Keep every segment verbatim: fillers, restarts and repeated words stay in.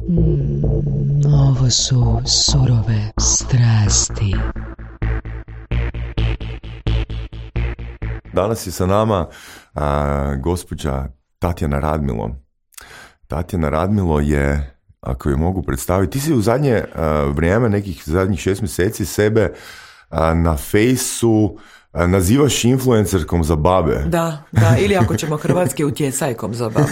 Mm, ovo su surove strasti. Danas je sa nama a, gospođa Tatjana Radmilo. Tatjana Radmilo je, ako je mogu predstaviti, ti si u zadnje a, vrijeme, nekih zadnjih šest mjeseci sebe a, na fejsu a, nazivaš influencerkom za babe. Da, da, ili ako ćemo hrvatski, utjecajkom za babe.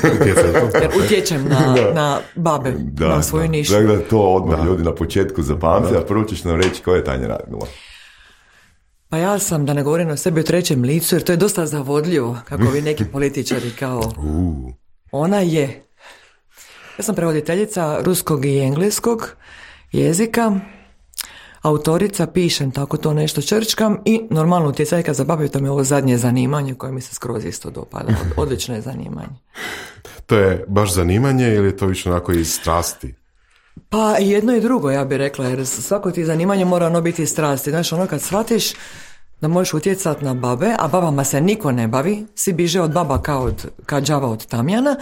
Jer utječem na, na babe, da, na svoju da. nišu. Dakle, to odmah da. Ljudi na početku zapamte, a prvo ćeš nam reći ko je Tanja Radmilo. Pa ja sam, da ne govorim o sebi u trećem licu, jer to je dosta zavodljivo, kako vi neki političari kao... Uh. Ona je. Ja sam prevoditeljica ruskog i engleskog jezika, autorica, pišem tako to nešto črčkam i normalno utjecajka za babe, to mi je ovo zadnje zanimanje koje mi se skroz isto dopada. Odlično je zanimanje. To je baš zanimanje ili je to više onako iz strasti? Pa jedno i drugo, ja bih rekla, jer svako ti zanimanje mora ono biti strasti. Znaš, ono kad shvatiš da možeš utjecati na babe, a babama se niko ne bavi, svi biže od baba kao od, kao đava od tamjana,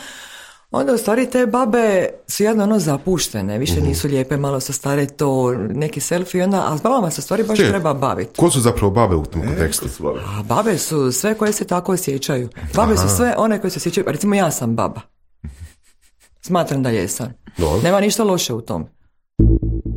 onda u stvari te babe su jedno ono zapuštene, više uh-huh. nisu lijepe, malo su stare to, neki selfie, onda, a s babama se u stvari baš Če, treba baviti. Ko su zapravo babe u tom kontekstu? E, a babe su sve koje se tako osjećaju. Babe Aha. su sve one koje se osjećaju, recimo ja sam baba. Smatram da jesam. No. Nema ništa loše u tom.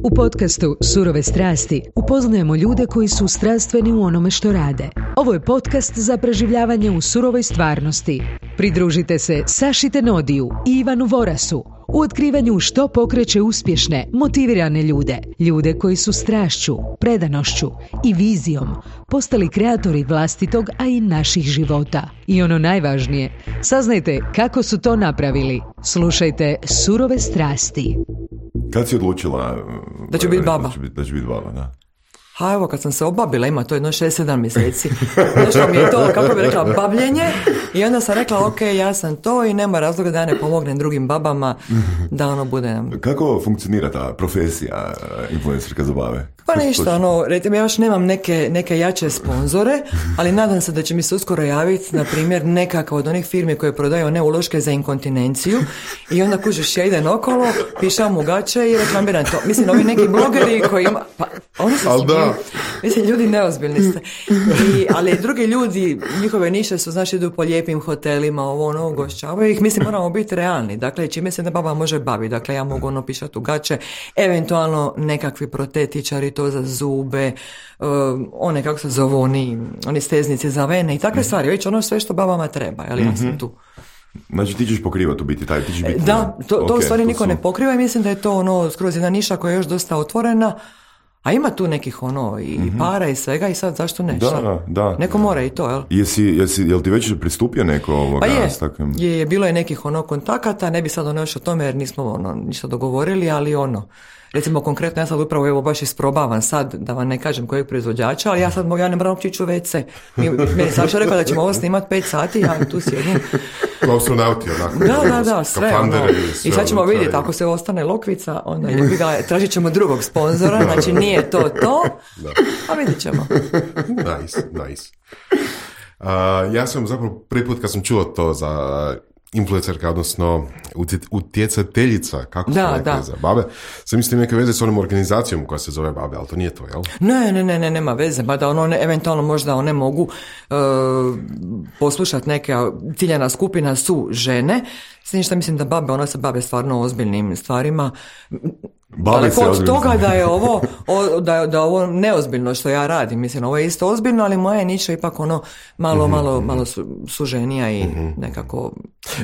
U podcastu Surove strasti upoznajemo ljude koji su strastveni u onome što rade. Ovo je podcast za preživljavanje u surovoj stvarnosti. Pridružite se Saši Tenodiju i Ivanu Vorasu u otkrivanju što pokreće uspješne, motivirane ljude. Ljude koji su strašću, predanošću i vizijom postali kreatori vlastitog, a i naših života. I ono najvažnije, saznajte kako su to napravili. Slušajte Surove strasti. Kad si odlučila da ću biti baba? Da ću biti, da ću biti baba, da. Ha, evo, kad sam se obabila, ima to jedno šest sedam mjeseci. Nešto mi je to, kako bi rekla, bavljenje. I onda sam rekla, ok, ja sam to i nema razloga da ja ne pomognem drugim babama da ono bude... Kako funkcionira ta profesija influencerka za bave? Pa ništa, ono, recimo, ja još nemam neke, neke jače sponzore, ali nadam se da će mi se uskoro javiti, na primjer, nekakva od onih firmi koje prodaju one uloške za inkontinenciju i onda kužiš, ja idem okolo, pišam u gaće i reklamiram to. Mislim, ovi neki blogeri koji ima... Pa, oni su smiju. Mislim, ljudi neozbiljni ste. I, ali drugi ljudi, njihove niše su, znaš, idu po lijepim hotelima, ovo, ono, ugošćavaju ih. Mislim, moramo biti realni. Dakle, čime se da baba može baviti? Dakle, ja mogu ono pišati u gaće, eventualno nekakvi protetičari, to za zube, uh, one, kako se zove, oni, oni steznici za vene i takve stvari. Već ono sve što babama treba, ali ja sam tu. Znači ti ćeš pokrivati u biti taj, ti ćeš biti... Da, to, to okay, u stvari niko su... ne pokriva i mislim da je to ono skroz jedna niša koja je još dosta otvorena, a ima tu nekih ono i mm-hmm. para i svega i sad zašto ne? Da, da, da. Neko mora i to, jel? Jesi, jesi, jel ti već pristupio neko ovoga? Pa je, s takvim... je, je, bilo je nekih ono kontakata, ne bi sad ono još o tome jer nismo ono ništa dogovorili, ali ono, recimo konkretno ja sad upravo evo baš isprobavam sad, da vam ne kažem kojeg proizvođača, ali ja sad mogu, ja ne moram uopći u ve ce. Meni Saša rekao da ćemo ovo snimati pet sati, ja tu sjedim. Astronauti, onako. Da, da, da, sve. Ono. I, I sad ćemo vidjeti, ako se ostane lokvica, onda ga, tražit ćemo drugog sponzora, znači nije to to, a vidit ćemo. Nice, nice. Uh, ja sam zapravo prvi put kad sam čuo to za influencerka, odnosno utjecateljica, kako se rekli za babe, sam mislim neke veze s onom organizacijom koja se zove babe, ali to nije to, jel? Ne, ne, ne, ne nema veze, mada ono, ne, eventualno možda one mogu uh, poslušati neka ciljana skupina su žene, s tim što mislim da babe, one se bave stvarno ozbiljnim stvarima. Daleko od toga da je ovo o, da, da ovo neozbiljno što ja radim, mislim ovo je isto ozbiljno, ali moja niša ipak ono malo, mm-hmm. malo, malo su, suženija i mm-hmm. nekako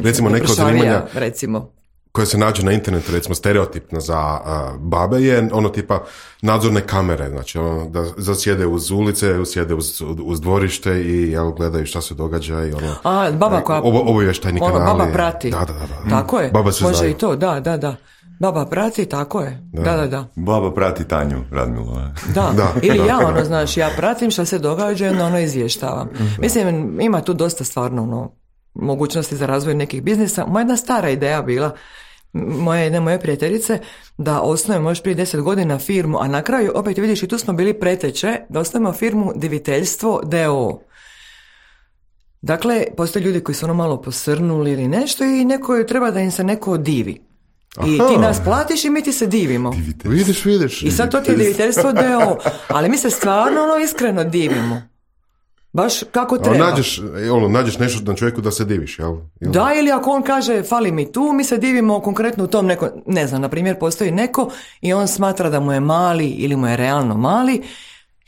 recimo neko zanimanja recimo koje se nađe na internetu, recimo stereotipno za uh, babe je ono tipa nadzorne kamere, znači ono, da, da sjede uz ulice, sjede uz, uz dvorište i jel, gledaju šta se događa i ono... A, baba koja... Ovo, obavještajni ono, kanali. Baba prati. Da, da, da. da. Tako je, baba se može znaju. I to, da, da, da. Baba prati, tako je. Da, da, da. da. Baba prati Tanju Radmilo. Da. da, ili ja ono, znaš, ja pratim šta se događa i onda ono izvještavam. Mislim, ima tu dosta stvarno ono, mogućnosti za razvoj nekih biznisa. Moja jedna stara ideja bila, moje jedne moje prijateljice, da osnujemo još prije deset godina firmu, a na kraju, opet vidiš, i tu smo bili preteče, da osnujemo firmu Diviteljstvo d o o. Dakle, postoje ljudi koji su ono malo posrnuli ili nešto i neko treba da im se neko divi. I ti nas platiš i mi ti se divimo. Vidiš, vidiš. I sad to ti je diviteljstvo D O O. Ali mi se stvarno ono iskreno divimo. Baš kako treba. Nađeš, ono, nađeš nešto na čovjeku da se diviš, jel? jel? Da, ili ako on kaže fali mi tu, mi se divimo konkretno u tom neko, ne znam, na primjer postoji neko i on smatra da mu je mali ili mu je realno mali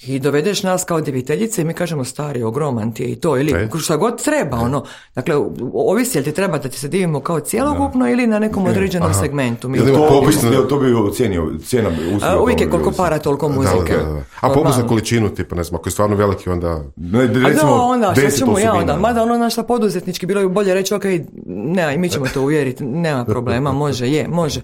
i dovedeš nas kao diviteljice i mi kažemo stari, ogroman ti je i to, ili e. šta god treba, e. ono. Dakle, ovisi jel ti treba da ti se divimo kao cijelokupno ili na nekom određenom Aha. segmentu. Mi to, to, to bi ocijenio, cijena bi usluga. Uvijek je koliko para, toliko muzike. Da, da, da. A popust za količinu, tipa, ne znam, ako je stvarno veliki, onda... Ne, recimo, A da, onda, što ćemo ja onda, mada ono našta poduzetnički, bilo bi bolje reći, ok, ne, mi ćemo to uvjeriti, nema problema, može, je, može.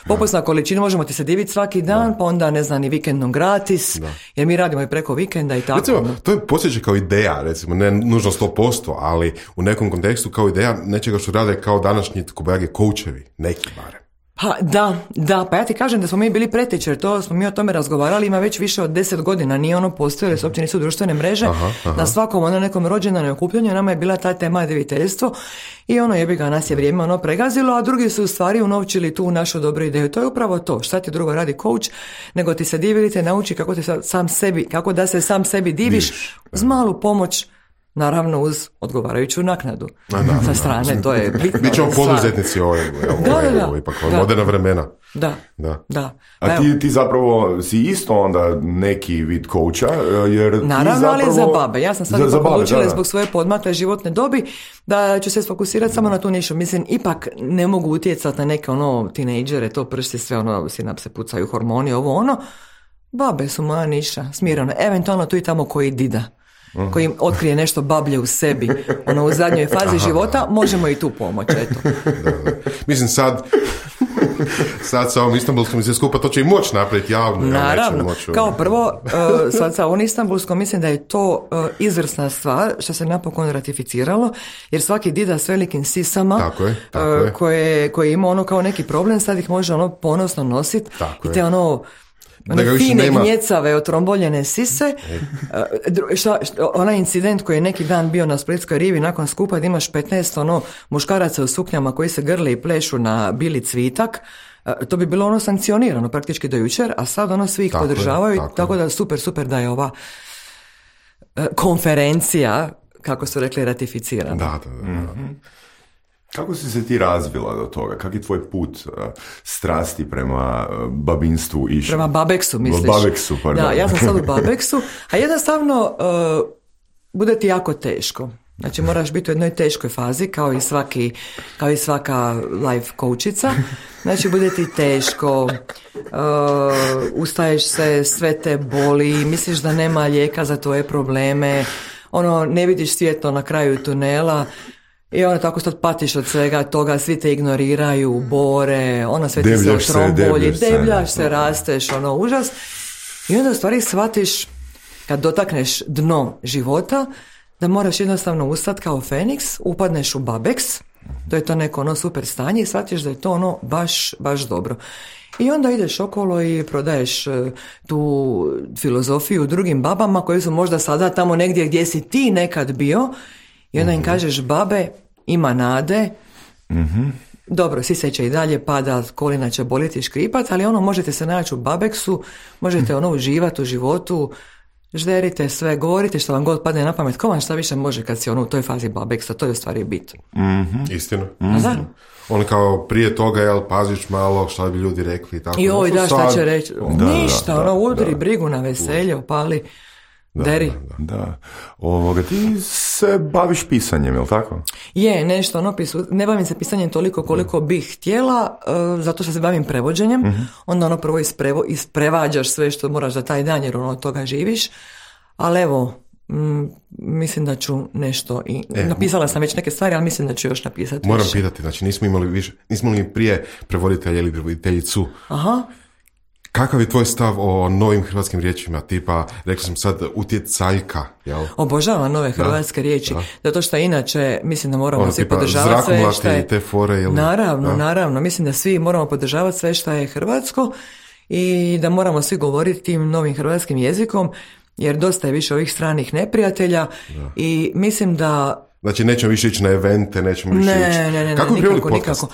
Popust na količinu, možemo ti se diviti svaki dan, da. Pa onda, ne znam, i vikendom gratis, da. Jer mi radimo i preko vikenda i tako. Recimo, to je posjeća kao ideja, recimo, ne nužno sto posto, ali u nekom kontekstu kao ideja nečega što rade kao današnji kobajage coachevi, neki barem. Pa da, da, pa ja ti kažem da smo mi bili preteče, jer to smo mi o tome razgovarali, ima već više od deset godina, nije ono postoje, jer su uopće nisu društvene mreže, aha, aha. Na svakom ono nekom rođendanju okupljanju nama je bila ta tema diviteljstvo i ono jebi ga, nas je vrijeme ono pregazilo, a drugi su u stvari unovčili tu našu dobru ideju. To je upravo to, šta ti drugo radi coach, nego ti se divi, te nauči kako ti sam sebi, kako da se sam sebi diviš, Diviš, uz malu pomoć. Naravno uz odgovarajuću naknadu. A, da, sa strane, da. To je bitno. Mi ćemo poduzetnici ovo, da, da, da, ipak moderna vremena. Da, da. da. A ti, ti zapravo si isto onda neki vid coacha, jer naravno, ti zapravo... ali za babe. Ja sam sad za, ipak odlučila zbog svoje podmakle životne dobi da ću se sfokusirati samo na tu nišu. Mislim, ipak ne mogu utjecati na neke ono tinejdžere, to prsti sve ono, sinapse pucaju, hormoni, ovo ono. Babe su moja niša, smirano. Eventualno tu i tamo koji dida. Koji im otkrije nešto bablje u sebi, ono u zadnjoj fazi aha, života, možemo i tu pomoći, eto. Da, da. Mislim sad, sad sa ovom Istanbulskom se skupa, to će i moći napraviti javno. Naravno, moći, kao prvo, uh, sad sa ovom Istanbulskom mislim da je to uh, izvrsna stvar što se napokon ratificiralo, jer svaki dida s velikim sisama, tako je, tako uh, je. koje, koje ima ono kao neki problem, sad ih može ono ponosno nositi i te ono... One fine nema... gnjecave, otromboljene sise. šta, šta, onaj incident koji je neki dan bio na Splitskoj rivi nakon skupa, da imaš petnaest ono, muškaraca u suknjama koji se grle i plešu na bili cvitak, to bi bilo ono sankcionirano praktički do jučer, a sad ono svi ih tako podržavaju, je, tako, tako da super, super da je ova konferencija, kako su rekli, ratificirana. Da, da, da. Mm-hmm. Kako si se ti razvila do toga? Kak je tvoj put uh, strasti prema uh, babinstvu išao? Prema babeksu, misliš? Babeksu, pardon. Da, ja sam sad u babeksu, a jednostavno uh, bude ti jako teško. Znači moraš biti u jednoj teškoj fazi, kao i svaki, kao i svaka life coachica. Znači bude ti teško, uh, ustaješ se, sve te boli, misliš da nema lijeka za tvoje probleme, ono, ne vidiš svjetlo na kraju tunela. I ono tako što patiš od svega toga, svi te ignoriraju, bore, ono sve ti se otrombolji, debljaš se, rasteš, ono užas. I onda u stvari shvatiš, kad dotakneš dno života, da moraš jednostavno ustati kao Feniks, upadneš u babeks, to je to neko ono super stanje i shvatiš da je to ono baš, baš dobro. I onda ideš okolo i prodaješ tu filozofiju drugim babama koje su možda sada tamo negdje gdje si ti nekad bio. I onda im kažeš, babe, ima nade, mm-hmm. dobro, sise će i dalje pada, kolina će boliti, škripat, ali ono, možete se naći u babeksu, možete ono uživati u životu, žderite sve, govorite što vam god padne na pamet, ko vam šta više može kad si ono u toj fazi babeksa, to je u stvari bit. Mm-hmm. Istina. Mm-hmm. Da. On kao prije toga, jel, paziš malo šta bi ljudi rekli. Tako. Joj, da, šta će reći? Da, ništa, da, ono, udri da, brigu na veselje, opali. Da, Deri. Da, da. Ovoga, ti se baviš pisanjem, je li tako? Je, nešto, ono, pisu, ne bavim se pisanjem toliko koliko bih htjela, uh, zato što se bavim prevođenjem, mm-hmm. onda ono prvo isprevo, isprevađaš sve što moraš za taj dan, jer ono od toga živiš, ali evo, m, mislim da ću nešto, i e, napisala sam već neke stvari, ali mislim da ću još napisati moram više. pitati, znači nismo imali više, nismo li prije prevoditelja ili prevoditeljicu. Aha. Kakav je tvoj stav o novim hrvatskim riječima, tipa, rekao sam sad, utjecaljka, jel? Obožavam nove hrvatske da, riječi, da. Zato što inače mislim da moramo ono, svi podržavati sve što je... te fore, jel? Naravno, da? naravno, mislim da svi moramo podržavati sve što je hrvatsko i da moramo svi govoriti tim novim hrvatskim jezikom, jer dosta je više ovih stranih neprijatelja da. I mislim da... Znači nećemo više ići na evente, nećemo više ne, ići... Ne, ne, ne, kako ne, nikako, nikako.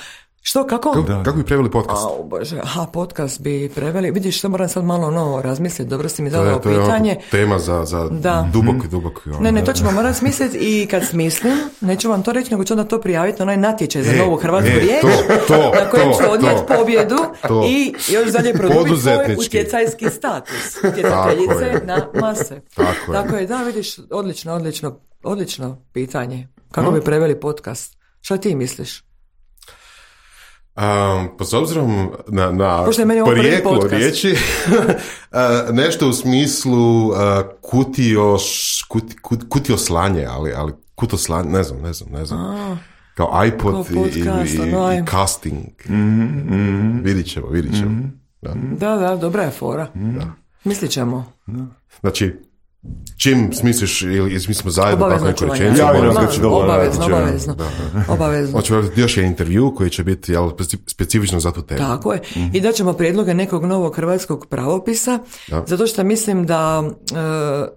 Što, kako? Kako, kako bi preveli podcast? A, bože, aha, podcast bi preveli. Vidiš, što moram sad malo novo razmisliti, dobro si mi zadao pitanje. To je tema za, za dubok, dubok. Ne, ne, to ćemo morati smisliti i kad smislim, neću vam to reći, nego ću onda to prijaviti na onaj natječaj za e, novu hrvatsku e, riječ, to, to, na kojem to, ću odnijeti to, pobjedu to. I još dalje produbiti svoj utjecajski status. Utjecateljice na mase. Tako, Tako je. je, da, vidiš, odlično, odlično, odlično pitanje. Kako hmm? bi preveli podcast? Šta ti misliš? Um, pa s obzirom na, na porijeklo riječi, uh, nešto u smislu uh, kutio, kuti, kut, kutio slanje, ali, ali kuto slanje, ne znam, ne znam, ne znam. A, kao iPod i, podcast, i, i, i casting. Mm-hmm, mm-hmm. Vidit ćemo, vidit ćemo. Mm-hmm. Da. da, da, dobra je fora. Mm-hmm. Da. Mislit ćemo. Da. Znači, čim smisliš ili smislimo zajedno tako neku rečenicu, obavezno, obavezno, obavezno. Hoćemo raditi još jedan intervju koji će biti jel, specifično za tu temu. Tako je. Mm-hmm. I daćemo prijedloge nekog novog hrvatskog pravopisa, da. Zato što mislim da e,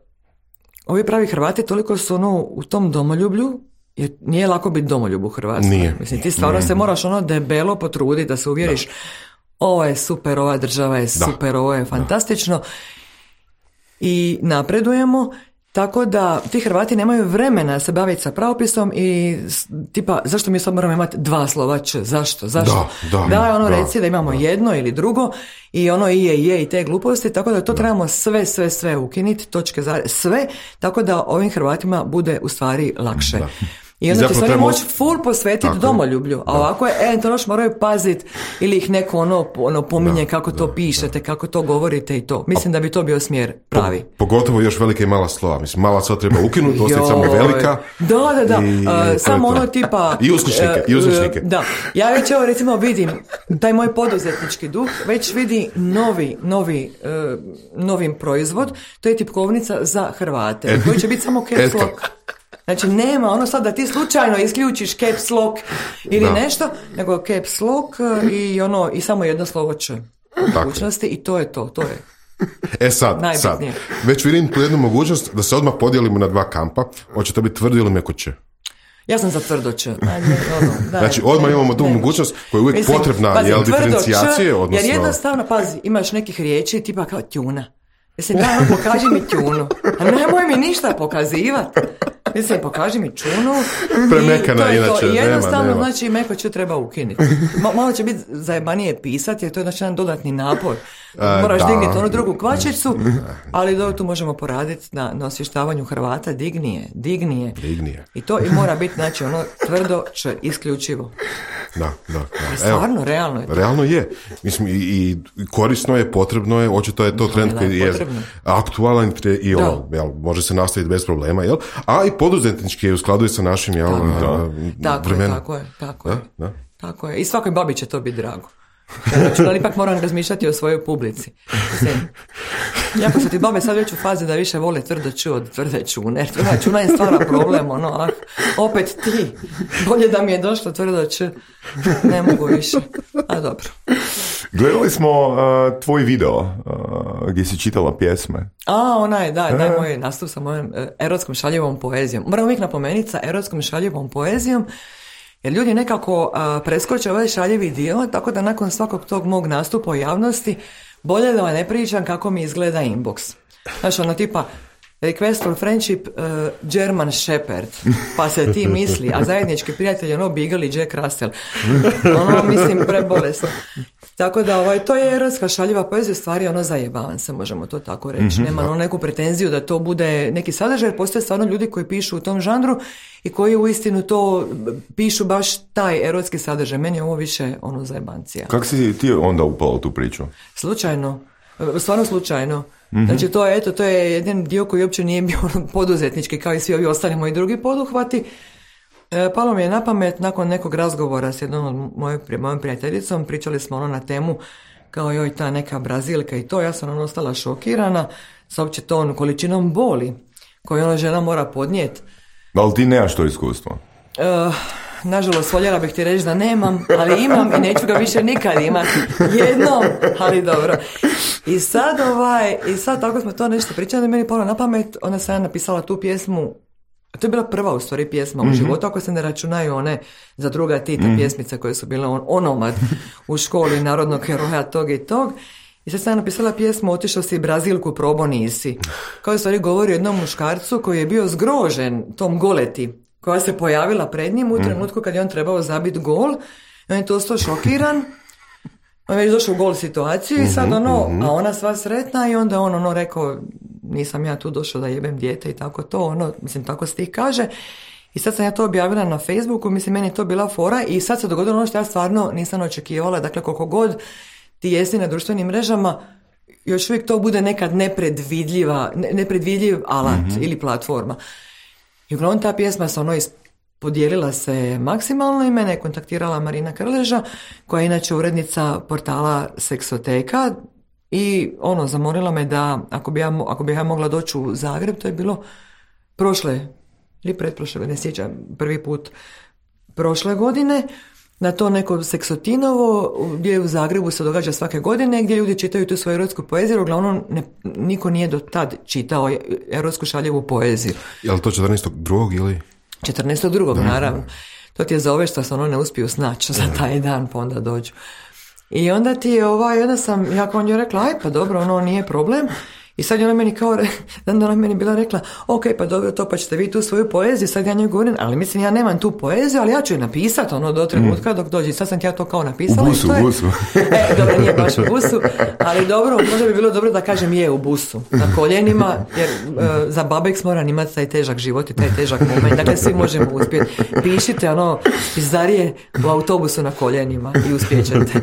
ovi pravi Hrvati toliko su ono u tom domoljublju, jer nije lako biti domoljub u Hrvatskoj. Nije. Mislim, ti stvarno mm-hmm. se moraš ono debelo potruditi da se uvjeriš da. Ovo je super, ova država je super, da. Ovo je fantastično. Da. I napredujemo, tako da ti Hrvati nemaju vremena se baviti sa pravopisom i tipa, zašto mi sad moramo imati dva slova č, zašto, zašto? Da, da, da ono da, reci da imamo da. jedno ili drugo i ono i je, i je i te gluposti, tako da to da. Trebamo sve, sve, sve ukinuti, točke za sve, tako da ovim Hrvatima bude u stvari lakše. Da. I onda će se oni moći full posvetiti domoljublju, a ovako je, e, to još moraju paziti ili ih neko ono, ono pominje da, kako to da, pišete, da. Kako to govorite i to. Mislim da bi to bio smjer pravi. Po, pogotovo još velika i mala slova. Mislim, mala slova treba ukinuti, ostati samo velika. Da, da, da. I, uh, samo ono tipa... I uzvišnike, uh, i uzvišnike. Da. Ja već evo recimo vidim, taj moj poduzetnički duh već vidi novi, novi, uh, novim proizvod, to je tipkovnica za Hrvate, et, koji će biti samo caps lock. Znači nema ono sad da ti slučajno isključiš caps lock ili da. Nešto, nego caps lock i ono i samo jedno slovo č mogućnosti i to je to, to je. E sad, sad, već vidim tu jednu mogućnost da se odmah podijelimo na dva kampa, hoće to biti tvrdo ili meko č. Ja sam za tvrdo č. Ono, znači odmah imamo tu mogućnost koja je uvijek Mislim, potrebna, pazi, jel, diferencijacije, odnosno... Jer jednostavno, pazi, imaš nekih riječi tipa kao tjuna. Mislim, daj, pokaži mi tjunu. A nemoj mi ništa pokazivati. Mislim, pokaži mi čunu. Premekana, i inače, I jednostavno, nema, nema. znači, meko će treba ukinuti. Malo će biti zajebanije pisati, jer to je znači jedan dodatni napor. Moraš da. Digniti onu drugu kvačicu, ali dobro, tu možemo poraditi na, na osvještavanju Hrvata. Dignije, dignije. Dignije. I to i mora biti, znači, ono tvrdo č, isključivo. Da, da, da. Stvarno, Evo, realno je to. Realno je. Mislim, i, i korisno je, potrebno je, očito je to trend koji je aktualan i ono, jel, može se nastaviti bez problema, jel? A i poduzetnički je u skladu sa našim, jel, tako, vremenom. Tako je, tako da, je. Da. Tako je. I svakoj babi će to biti drago. Znači, ali ipak moram razmišljati o svojoj publici. Mislim, jako su ti babe sad već u fazi da više vole tvrdo ču od tvrde čune. Tvrda čuna je stvara problem, ono, ah, opet ti. Bolje da mi je došlo tvrdo č. Ne mogu više. A dobro. Gledali smo uh, tvoj video uh, gdje si čitala pjesme. A, onaj, da, da, moj nastup sa mojom uh, erotskom šaljivom poezijom. Moram uvijek napomenuti sa erotskom šaljivom poezijom, jer ljudi nekako a, preskoče ovaj šaljivi dio, tako da nakon svakog tog mog nastupa u javnosti bolje da vam ne pričam kako mi izgleda inbox. Znaš, ono tipa request for friendship uh, German Shepherd, pa se ti misli, a zajednički prijatelj ono Beagle i Jack Russell. Ono, mislim, prebolesno. Tako da, ovaj, to je erotska šaljiva poezija, stvari ono zajebavan se, možemo to tako reći. Mm-hmm. Nema ono neku pretenziju da to bude neki sadržaj, jer postoje stvarno ljudi koji pišu u tom žanru i koji uistinu to pišu baš taj erotski sadržaj. Meni je ovo više ono zajebancija. Kako si ti onda upala u tu priču? Slučajno. Stvarno slučajno. Mm-hmm. Znači to je, eto, to je jedan dio koji uopće nije bio poduzetnički kao i svi ovi ostali moji drugi poduhvati. E, palo mi je na pamet nakon nekog razgovora s jednom od mojoj, mojom prijateljicom, pričali smo ono na temu kao joj ta neka Brazilka i to, ja sam ono ostala šokirana sa uopće tom količinom boli koju ona žena mora podnijeti. Ali ti nemaš to iskustvo? E, nažalost, voljela bih ti reći da nemam, ali imam i neću ga više nikad imati. Jednom, ali dobro. I sad ovaj, i sad tako smo to nešto pričali, meni palo na pamet, onda sam ja napisala tu pjesmu A to je bila prva u stvari pjesma mm-hmm. u životu, ako se ne računaju one za druga Tita mm-hmm. pjesmice koje su bile on, onomad u školi narodnog heroja tog i tog. I sad sam napisala pjesmu Otišao si Brazilku, probo nisi. Kao u stvari govori o jednom muškarcu koji je bio zgrožen tom goleti koja se pojavila pred njim u trenutku kad je on trebao zabiti gol. I on je to ostao šokiran. On je već došao u gol situaciju i sad ono, a ona sva sretna i onda on ono rekao, nisam ja tu došao da jebem dijete i tako to, ono, mislim, tako stih kaže. I sad sam ja to objavila na Facebooku, mislim, meni je to bila fora i sad se dogodilo ono što ja stvarno nisam očekivala, dakle, koliko god ti jesi na društvenim mrežama, još uvijek to bude nekad nepredvidljiva, ne, nepredvidljiv alat mm-hmm. ili platforma. I uglavnom ta pjesma se ono is, podijelila se maksimalno i mene je kontaktirala Marina Krleža, koja je inače urednica portala Seksoteka i ono, zamolila me da ako bi ja, ako bi ja mogla doći u Zagreb, to je bilo prošle ili pretprošle, ne sjećam, prvi put prošle godine, na to neko Seksotinovo gdje u Zagrebu se događa svake godine, gdje ljudi čitaju tu svoju erotsku poeziju, uglavnom ne, niko nije do tad čitao erotsku šaljevu poeziju. Je li to četrnaestog drugog ili? četrnaestog drugog naravno. To ti je za ove što se ono ne uspiju snaći za taj dan, pa onda dođu. I onda ti je ovaj, onda sam, ja kao njoj rekla, aj pa dobro, ono nije problem. I sad je ona meni kao, dan ona meni bila rekla, ok, pa dobro to, pa ćete vi tu svoju poeziju, sad ja njoj govorim, ali mislim ja nemam tu poeziju, ali ja ću je napisati ono do trenutka dok dođe. Sad sam ja to kao napisala. U busu, i u busu. E, dobro, nije baš u busu, ali dobro, možda bi bilo dobro da kažem je u busu, na koljenima, jer uh, za Babex moram imati taj težak život i taj težak moment, dakle svi možemo uspjeti. Pišite ono pizdarije u autobusu na koljenima i uspjećete.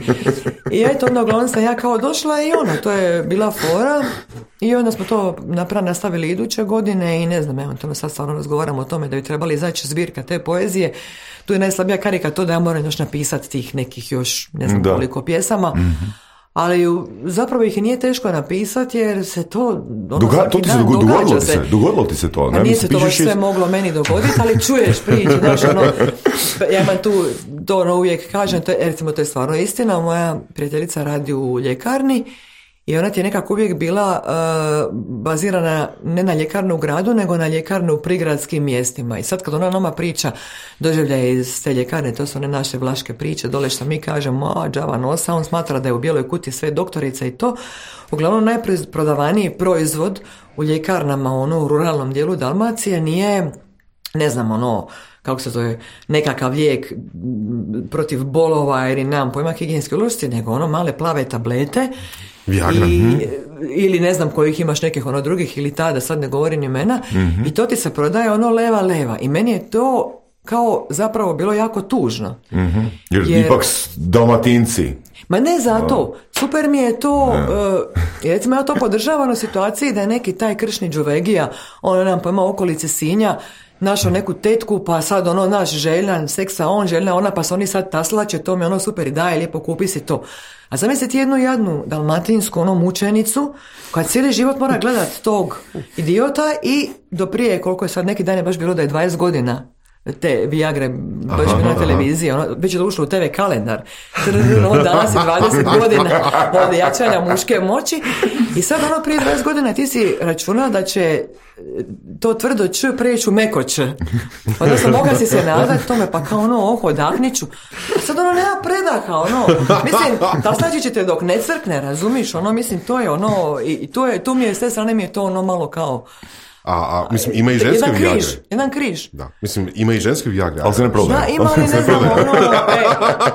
I eto, onda uglavnom sam ja kao došla i ono, to je bila fora. I onda smo to napravili, nastavili iduće godine i ne znam, evo, to sad stvarno razgovaramo o tome da bi trebali izaći zbirka te poezije. Tu je najslabija karika to da ja moram još napisati tih nekih još ne znam da. koliko pjesama. Mm-hmm. Ali zapravo ih nije teško napisati jer se to ono, Duga, to ti se dogodilo, dogodilo ti se, dogodilo ti se to. Ne? Nije se to baš sve iz... moglo meni dogoditi, ali čuješ priče, znaš, ono, ja imam tu, to ono uvijek kažem, to je, recimo to je stvarno istina, moja prijateljica radi u ljekarni i ona ti je nekako uvijek bila uh, bazirana ne na ljekarnu u gradu, nego na ljekarnu u prigradskim mjestima. I sad kad ona nama priča doživljaje iz te ljekarne, to su one naše vlaške priče, dole što mi kažemo, a džava nosa, on smatra da je u bijeloj kuti sve doktorica i to. Uglavnom najprodavaniji proizvod u ljekarnama, ono u ruralnom dijelu Dalmacije nije, ne znam, ono, kako se zove, nekakav lijek protiv bolova ili nemam pojma higijenske ulošci, nego ono male plave tablete. Viagra. I, hm. ili ne znam kojih imaš nekih ono drugih ili tada, sad ne govorim imena, mm-hmm. i to ti se prodaje ono leva leva i meni je to kao zapravo bilo jako tužno. Mm-hmm. Jer, jer ipak Dalmatinci. Ma ne zato, super mi je to, uh, recimo ja to podržavam u situaciji da je neki taj kršni Đuvegija, ono nam pojma okolice Sinja, našao neku tetku, pa sad ono naš željan seksa, on željna, ona, pa se oni sad taslače, to mi ono super i daje, lijepo kupi si to. A zamisliti jednu jadnu dalmatinsku ono mučenicu koja cijeli život mora gledati tog idiota i do prije, koliko je sad neki dan je baš bilo da je dvadeset godina te Viagre baš aha, na televiziji, ono, već je to ušlo u te ve kalendar. Ono, danas je dvadeset godina od jačanja muške moći i sad ono prije dvadeset godina ti si računao da će to tvrdo č preći u meko č. Odnosno mogla si se nadati tome pa kao ono oho odahniću. A sad ono nema predaha, ono. Mislim, taslaći ćete dok ne crkne, razumiš, ono, mislim, to je ono, i, i to je, tu mi je s te strane mi je to ono malo kao A, a mislim, ima i ženske jedan Viagre. Križ, jedan križ. Da, mislim, ima i ženske Viagre. Ali se ne prodaje. Da, ima, ali ne znam, ono, e,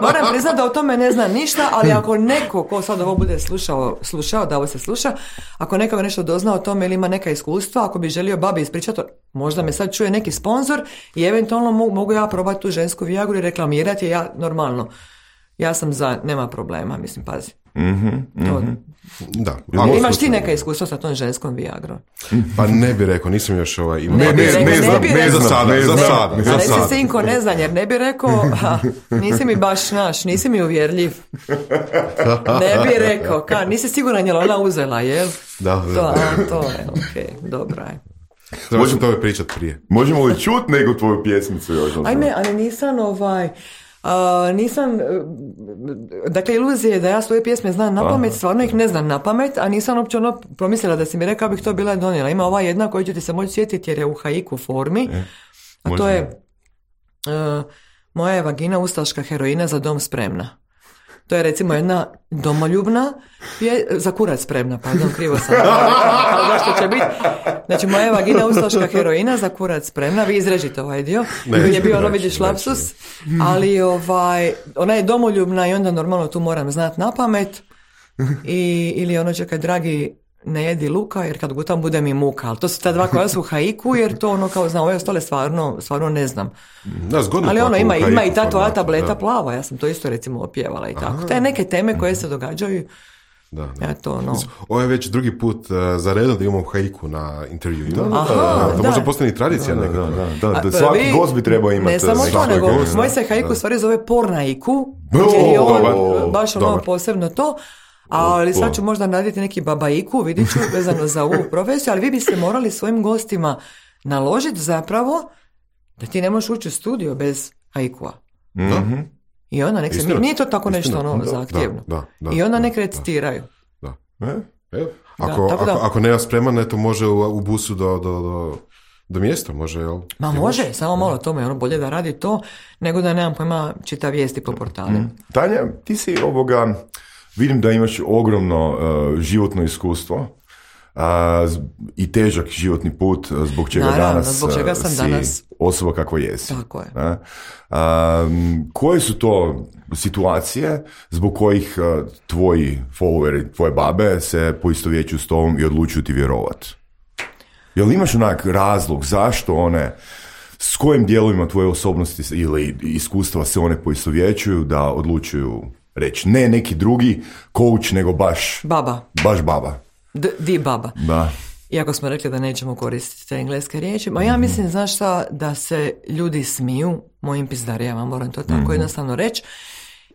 moram priznati da o tome ne znam ništa, ali ako neko, ko sad ovo bude slušao, slušao, da ovo se sluša, ako neko nešto dozna o tome ili ima neka iskustva, ako bi želio babi ispričati, možda me sad čuje neki sponzor i eventualno mogu, mogu ja probati tu žensku Viagru i reklamirati je ja normalno. Ja sam za, nema problema, mislim, pazi. Mm-hmm, to, mm-hmm. Da. Imaš ti neka iskustva sa tom ženskom Viagrom? Pa ne bi rekao, nisam još ovaj imao. Ne, ne, ne, ne, znam, bi ne, rekao, za sada, ne, za ne, sada. ne, Za ali sada. si sinko ne znam, jer ne bi rekao, ha, nisi mi baš naš, nisi mi uvjerljiv. Ne bi rekao, ka, nisi siguran je li ona uzela, jel? Da, da. To, a, to je, okej, okay, dobra je. Možemo to pričati prije. Možemo li čuti nego tvoju pjesmicu još? Ajme, ali nisam ovaj... Uh, nisam, uh, dakle iluzija je da ja svoje pjesme znam na pamet, stvarno ih ne znam na pamet, a nisam uopće ono promislila da si mi rekao bih to bila donijela. Ima ova jedna koju ću ti se moći sjetiti jer je u haiku formi, A Može. to je uh, moja je vagina ustaška heroina, za dom spremna. To je recimo jedna domoljubna, je, za kurac spremna, pardon, krivo sam. Zašto će biti? Znači, moja je vagina ustaška heroina, za kurac spremna, vi izrežite ovaj dio. Ne, je bio ono, vidiš, lapsus, ali ovaj, ona je domoljubna i onda normalno tu moram znati na pamet. I, ili ono, čekaj, dragi, ne jedi luka, jer kad gutam bude mi muka. Ali to su ta dva koja su u haiku, jer to ono, kao znam, ove ostale stvarno, stvarno ne znam. Da, zgodno. Ali ono, ima, haiku, ima i ta tvoja da, tableta da. plava, ja sam to isto recimo opjevala i tako. Te neke teme koje se događaju, Da, da. ja to ono... Ovo je već drugi put uh, za redom da imamo haiku na intervju. Aha, uh, to da. može postane tradicija. Da, nekako. da, da, da, A, da, svaki vi- gost bi trebao imati. Ne samo to, svaki nego gost, moj da. se haiku stvari zove pornaiku, O, jer je on dobar. baš ono Dobar. posebno to. Ali sad ću možda raditi neki babaiku, vidit ću, vezano za ovu profesiju, ali vi biste morali svojim gostima naložiti zapravo da ti ne možeš ući u studio bez haikua. Mhm. I onda nek se, Istina. nije to tako nešto Istina. ono Da, zahtjevno. da, da, I onda da, nek da. recitiraju. Da. E? Evo, ako, tako da- ako, ako nema spreman, eto može u, u busu do, do, do, do mjesta, može, jel? Ma Jel može, samo malo tome, ono bolje da radi to, nego da nemam pojma čita vijesti po portalima. Tanja, ti si ovoga, vidim da imaš ogromno uh, životno iskustvo uh, z- i težak životni put, uh, zbog čega Naravno, danas zbog čega uh, sam si danas- osoba kakva jesi. Tako je. Ne? Um, koje su to situacije zbog kojih uh, tvoji followeri, tvoje babe se poistovjećuju s tobom i odlučuju ti vjerovat? Jel imaš onak razlog zašto one, s kojim dijelovima tvoje osobnosti ili iskustva se one poistovjećuju da odlučuju reći ne neki drugi coach, nego baš, Baba, baš baba? D- di baba. Da. Iako smo rekli da nećemo koristiti te engleske riječi, ma ja mislim, znaš šta, da se ljudi smiju mojim pizdarijama, moram to tako jednostavno reći.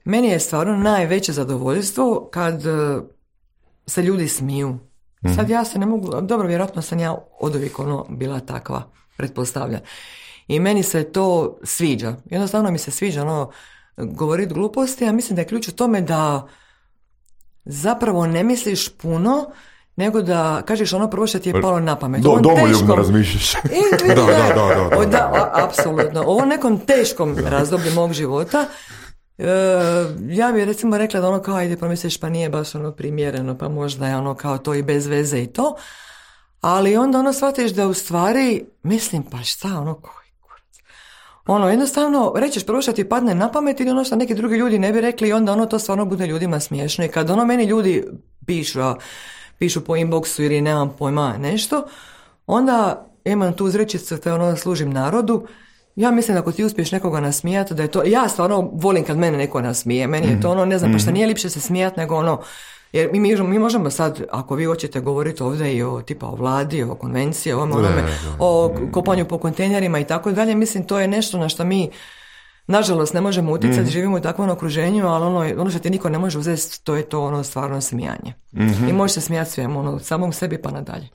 Meni je stvarno najveće zadovoljstvo kad e, se ljudi smiju. Sad ja se ne mogu, dobro, vjerojatno sam ja oduvijek ono bila takva, pretpostavljam. I meni se to sviđa. Jednostavno mi se sviđa ono govoriti gluposti, a mislim da je ključ u tome da zapravo ne misliš puno, nego da kažeš ono prvo što ti je palo na pamet. Do, Ovom domoljubno teškom- razmišljaš. I, vidi, Da, da, ne, da, da, o, da. a- apsolutno. U ovom nekom teškom razdoblju mog života, e, ja bih recimo rekla da ono kao, ajde pomisliš pa nije baš ono primjereno, pa možda je ono kao to i bez veze i to, ali onda ono shvatiš da u stvari, mislim pa šta, ono koji kurac. Ono, jednostavno, rećeš prvo što ti padne na pamet ili ono što neki drugi ljudi ne bi rekli i onda ono to stvarno bude ljudima smiješno. I kad ono meni ljudi pišu, a pišu po inboxu ili nemam pojma nešto, onda imam tu uzrečicu te ono služim narodu. Ja mislim da ako ti uspiješ nekoga nasmijati, da je to, ja stvarno volim kad mene neko nasmije, meni je to ono, ne znam, pa šta nije lipše se smijati nego ono, jer mi, mi, mi možemo sad, ako vi hoćete govoriti ovdje i o tipa o vladi, o konvenciji, o ovome, onome, o kopanju po kontejnerima i tako dalje, mislim to je nešto na što mi nažalost ne možemo utjecati, živimo u takvom okruženju, ali ono, ono što ti niko ne može uzeti, to je to ono stvarno smijanje. I možeš se smijati svemu, ono, samom sebi pa nadalje.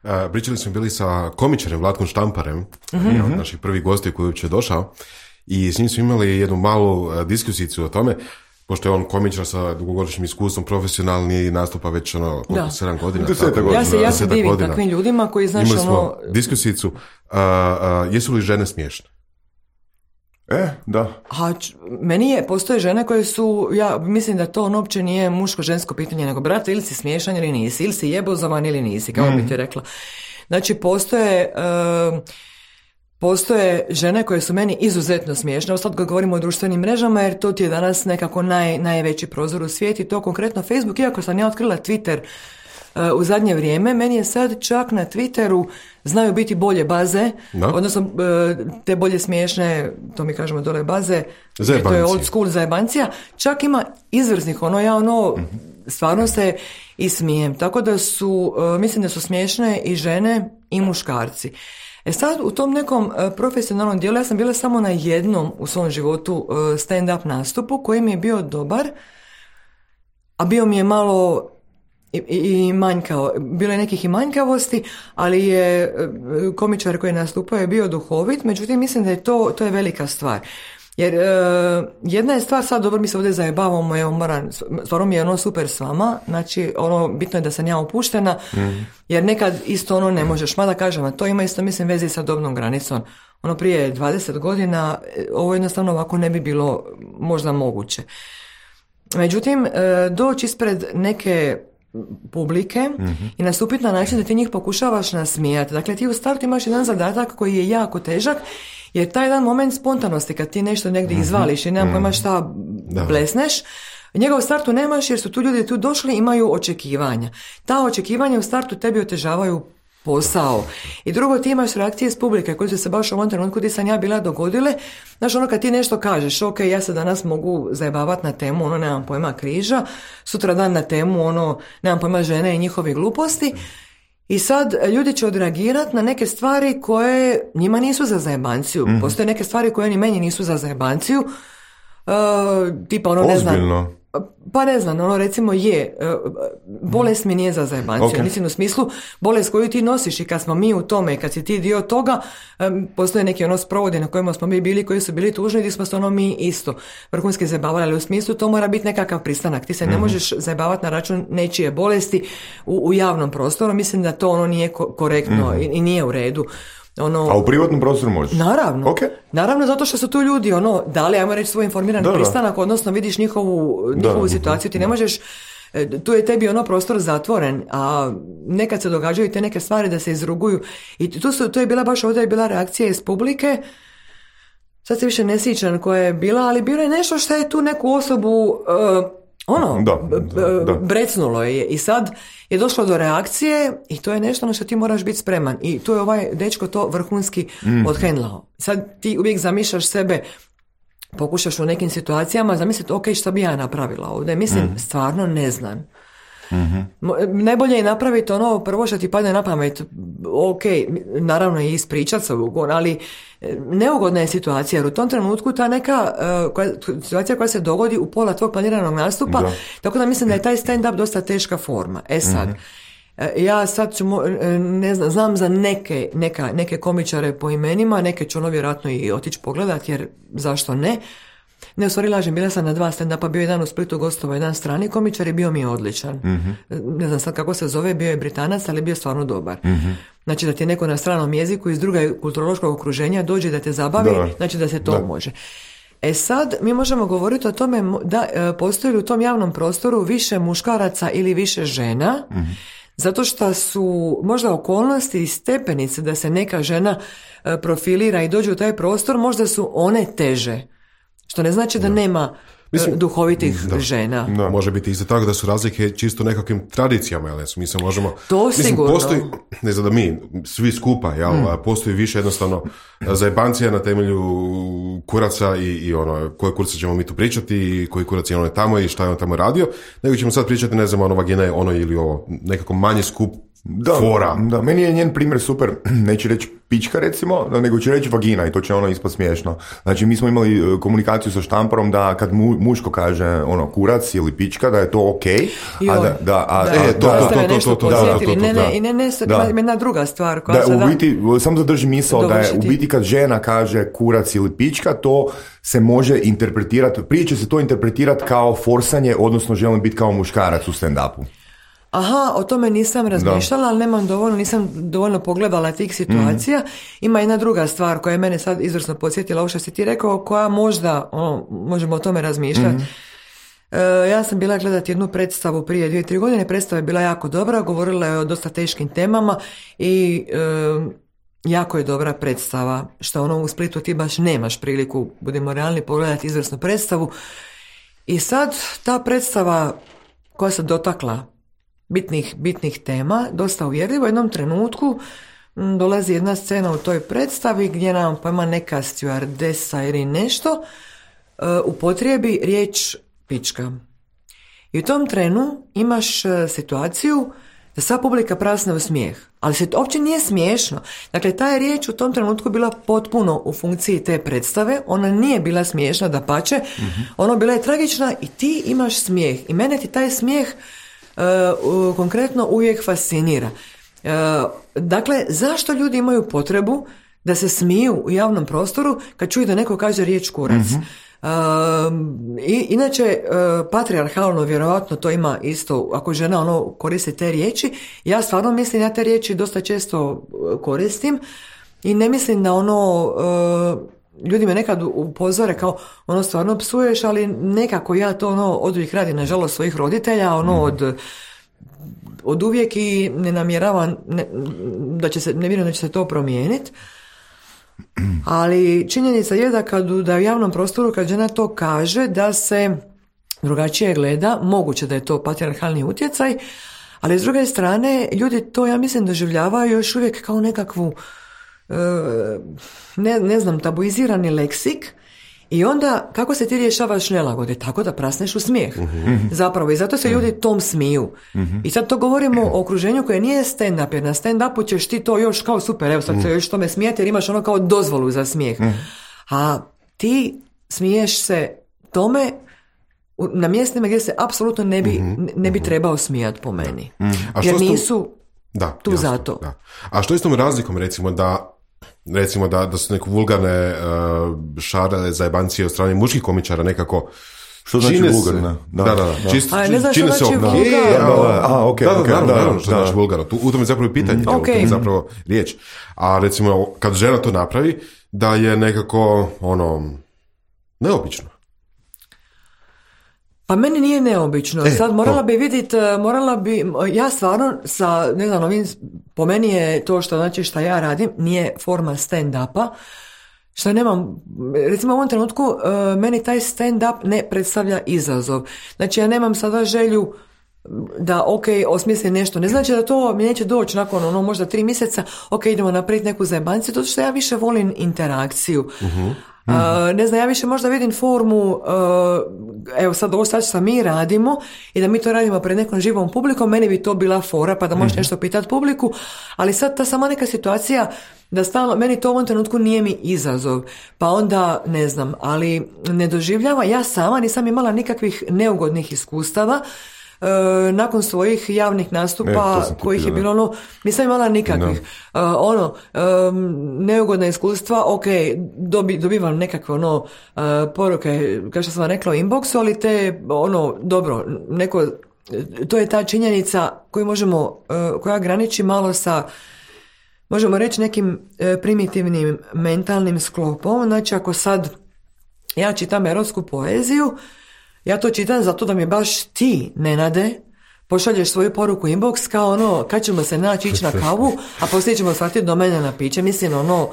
Uh, pričali smo bili sa komičarem Vlatkom Štamparem, jedan od naših prvih gostiju koji je uopće došao, i s njim smo imali jednu malu uh, diskusicu o tome, pošto je on komičar sa dugogodišnjim iskustvom, profesionalni, nastupa već ono, koliko, Da. sedam godina. Desetak tako? godina. Ja se, ja se Desetak divim godina. takvim ljudima koji, znaš, Imali smo ono, diskusicu, uh, uh, jesu li žene smiješne? E, da. a č- meni je, postoje žene koje su, ja mislim da to ono uopće nije muško-žensko pitanje, nego brate, ili si smiješan ili nisi, ili si jebozovan ili nisi, kao bi ti rekla. Znači, postoje... em, Postoje žene koje su meni izuzetno smiješne, ovo sad kad govorimo o društvenim mrežama, jer to ti je danas nekako naj, najveći prozor u svijetu i to konkretno Facebook, iako sam ja otkrila Twitter uh, u zadnje vrijeme, meni je sad čak na Twitteru znaju biti bolje baze, Da. odnosno uh, te bolje smiješne, to mi kažemo dole baze, to je Zajebancije. old school zajebancija, čak ima izvrsnih, ono ja ono, stvarno se i smijem, tako da su, uh, mislim da su smiješne i žene i muškarci. E sad, u tom nekom e, profesionalnom dijelu, ja sam bila samo na jednom u svom životu e, stand-up nastupu koji mi je bio dobar, a bio mi je malo i, i, i manjkao. Bilo je nekih i manjkavosti, ali je e, komičar koji je nastupao je bio duhovit, međutim mislim da je to, to je velika stvar. Jer e, jedna je stvar, sad dobro mi se ovdje zajebavamo, evo moram, stvarno mi je ono super s vama, znači ono bitno je da sam ja opuštena, jer nekad isto ono ne možeš, mada kažem, a to ima isto mislim veze sa dobnom granicom. ono prije dvadeset godina, ovo jednostavno ovako ne bi bilo možda moguće. Međutim, doći ispred neke publike mm-hmm. i nastupiti na način da ti njih pokušavaš nasmijati. Dakle, ti u startu imaš jedan zadatak koji je jako težak, jer taj jedan moment spontanosti kad ti nešto negdje mm-hmm. izvališ i nemam pojma šta blesneš, njega u startu nemaš jer su tu ljudi tu došli, imaju očekivanja. Ta očekivanja u startu tebi otežavaju posao. I drugo, ti imaš reakcije iz publike koje su se baš u ovom trenutku gdje sam ja bila dogodile. Znaš, ono kad ti nešto kažeš, ok, ja se danas mogu zajebavati na temu, ono, nemam pojma, križa, sutra dan na temu, ono, nemam pojma, žene i njihovi gluposti. I sad ljudi će odreagirati na neke stvari koje njima nisu za zajebanciju. Mm-hmm. Postoje neke stvari koje ni meni nisu za zajebanciju. Uh, tipa ono, ne znam... Ozbiljno. Pa ne znam, ono recimo je, bolest mi nije za zajebanciju, okay. Mislim u smislu bolest koju ti nosiš i kad smo mi u tome i kad si ti dio toga, postoje neki ono sprovodi na kojima smo mi bili, koji su bili tužni gdje smo se ono mi isto vrhunski zajebavali, ali u smislu to mora biti nekakav pristanak, ti se ne možeš zajebavati na račun nečije bolesti u, u javnom prostoru, mislim da to ono nije ko- korektno mm-hmm. i, i nije u redu. Ono, a u privatnom prostoru možeš? Naravno. Okay. Naravno, zato što su tu ljudi, ono, dali, ajmo reći, svoj informiran da, pristanak, odnosno vidiš njihovu, njihovu da, situaciju, ti ne možeš, tu je tebi ono prostor zatvoren, a nekad se događaju te neke stvari da se izruguju. I tu, su, tu je bila baš ovdje je bila reakcija iz publike, sad se više ne sjećam koja je bila, ali bilo je nešto što je tu neku osobu... Uh, ono, da, da, da. brecnulo je i sad je došlo do reakcije i to je nešto na što ti moraš biti spreman i tu je ovaj dečko to vrhunski mm. odhendlao. Sad ti uvijek zamišljaš sebe, pokušaš u nekim situacijama zamisliti, ok, šta bi ja napravila ovdje, mislim, mm. stvarno ne znam. Mm-hmm. Najbolje je napraviti ono prvo što ti padne na pamet, ok, naravno i ispričat se ugon, ali neugodna je situacija jer u tom trenutku ta neka uh, koja, situacija koja se dogodi u pola tvog planiranog nastupa, da. Tako da mislim da je taj stand-up dosta teška forma. E sad, mm-hmm. ja sad ću, ne znam, znam za neke, neka, neke komičare po imenima, neke ću ono vjerojatno i otići pogledat jer zašto ne. Ne, u stvari lažem, bila sam na dva stand-upa, bio jedan u Splitu gostova, jedan strani komičar i bio mi je odličan. Mm-hmm. Ne znam sad kako se zove, bio je Britanac, ali bio je stvarno dobar. Mm-hmm. Znači da ti neko na stranom jeziku iz druga kulturološkog okruženja dođe da te zabavi, da. Znači da se to da. Može. E sad, mi možemo govoriti o tome da postoji li u tom javnom prostoru više muškaraca ili više žena, mm-hmm. zato što su možda okolnosti i stepenice da se neka žena profilira i dođe u taj prostor, možda su one teže. Što ne znači da, da. nema Mislim, duhovitih da, žena. Da. Može biti isto tako da su razlike čisto nekakvim tradicijama, jel? Mi se možemo... To mislim, sigurno. Postoji, ne znam da mi, svi skupa, jel? Mm. Postoji više jednostavno zajebancija na temelju kuraca i, i ono, koje kurce ćemo mi tu pričati i koji kurac je ono tamo i šta je on tamo radio, nego ćemo sad pričati, ne znam, ono vagina je ono ili ovo, nekako manji skup da, fora. Da, meni je njen primjer super, neću reći pička recimo, nego ću reći vagina i to će ono ispod smiješno. Znači mi smo imali komunikaciju sa Štamparom da kad mu, muško kaže ono kurac ili pička da je to ok, a da, da, a, da, a, to, da, to, to, to, to, to, da, to, ne, ne, i ne, ne, jedna druga stvar koja da, sada... u biti, samo zadrži misao da je u biti kad žena kaže kurac ili pička, to se može interpretirati, prije će se to interpretirati kao forsanje, odnosno želim biti kao muškarac u stand-upu. Aha, o tome nisam razmišljala, da. Ali nemam dovoljno, nisam dovoljno pogledala tih situacija. Mm-hmm. Ima jedna druga stvar koja je mene sad izvrsno podsjetila, ovo što si ti rekao, koja možda, ono, možemo o tome razmišljati. Mm-hmm. E, ja sam bila gledati jednu predstavu prije dvije, tri godine, predstava je bila jako dobra, govorila je o dosta teškim temama i e, jako je dobra predstava, što ono u Splitu ti baš nemaš priliku, budemo realni, pogledati izvrsnu predstavu. I sad ta predstava koja se dotakla bitnih, bitnih tema, dosta uvjerljivo. U jednom trenutku m, dolazi jedna scena u toj predstavi gdje nam pojma neka stjuardesa ili nešto uh, upotrijebi riječ pička. I u tom trenu imaš uh, situaciju da sva publika prasne u smijeh. Ali se to uopće nije smiješno. Dakle, ta je riječ u tom trenutku bila potpuno u funkciji te predstave. Ona nije bila smiješna, dapače. Mm-hmm. Ona bila je tragična i ti imaš smijeh. I mene ti taj smijeh Uh, konkretno uvijek fascinira. Uh, dakle, zašto ljudi imaju potrebu da se smiju u javnom prostoru kad čuju da neko kaže riječ kurac? Mm-hmm. Uh, i, inače, uh, patrijarhalno vjerojatno to ima isto, ako žena ono koristi te riječi, ja stvarno mislim, ja te riječi dosta često koristim, i ne mislim da ono, uh, ljudi me nekad upozore kao ono stvarno psuješ, ali nekako ja to ono od uvijek radim, nažalost svojih roditelja, ono mm. od od uvijek i ne namjeravam ne, da će se, ne vjerujem da će se to promijeniti. Ali činjenica je da kad da u javnom prostoru kad žena to kaže da se drugačije gleda, moguće da je to patrijarhalni utjecaj, ali s druge strane ljudi to ja mislim doživljavaju još uvijek kao nekakvu ne, ne znam tabuizirani leksik. I onda, kako se ti rješavaš nelagode? Tako da prasneš u smijeh. Mm-hmm. Zapravo, i zato se ljudi tom smiju. Mm-hmm. I sad to govorimo o okruženju koje nije stand-up, jer na stand-upu ćeš ti to još kao super, evo sad se još tome smijeti jer imaš ono kao dozvolu za smijeh. Mm-hmm. A ti smiješ se tome na mjestima gdje se apsolutno ne bi, mm-hmm. ne bi trebao smijati po meni. Mm-hmm. A jer nisu da, tu jasno, zato. Da. A što je s tom razlikom, recimo, da recimo da, da su neke vulgarne uh, šarale zajebancije od strane muških komičara nekako što znači vulgarna? Da, da, da. da. Čist, a, ne znaš čine što znači okay, vulgarno? A, ok, da, da, ok. naravno, da, naravno što da. znači vulgarno. Tu, u tome je zapravo pitanje, mm, okay. u tome je zapravo riječ. A recimo, kad žena to napravi, da je nekako, ono, neobično. Pa meni nije neobično. E, Sad morala to. bi vidjeti, morala bi, ja stvarno sa, ne znam, ovim, po meni je to što znači šta ja radim, nije forma stand-upa, što nemam, recimo u ovom trenutku, uh, meni taj stand-up ne predstavlja izazov. Znači ja nemam sada želju da ok, osmislim nešto. Ne znači da to mi neće doći nakon ono možda tri mjeseca, ok, idemo napraviti neku zajebanciju, to što ja više volim interakciju. Uh-huh. Uh, ne znam, ja više možda vidim formu, uh, evo sad ovo sad što mi radimo i da mi to radimo pred nekom živom publikom, meni bi to bila fora pa da možeš mm-hmm. nešto pitati publiku, ali sad ta sama neka situacija da stalno, meni to u ovom trenutku nije mi izazov, pa onda ne znam, ali ne doživljava, ja sama nisam imala nikakvih neugodnih iskustava. Uh, nakon svojih javnih nastupa e, kojih je bilo ono, nisam imala nikakvih no. uh, ono, um, neugodna iskustva, ok, dobi, dobivam nekakve ono uh, poruke, kao što sam vam rekla u inboxu, ali te ono, dobro, neko, to je ta činjenica koju možemo, uh, koja graniči malo sa, možemo reći nekim uh, primitivnim mentalnim sklopom. Znači ako sad ja čitam erotsku poeziju, ja to čitam zato da mi baš ti, Nenade, pošalješ svoju poruku inbox kao ono, kad ćemo se naći ići na kavu, a poslije ćemo shvatiti do mene na piće. Mislim, ono,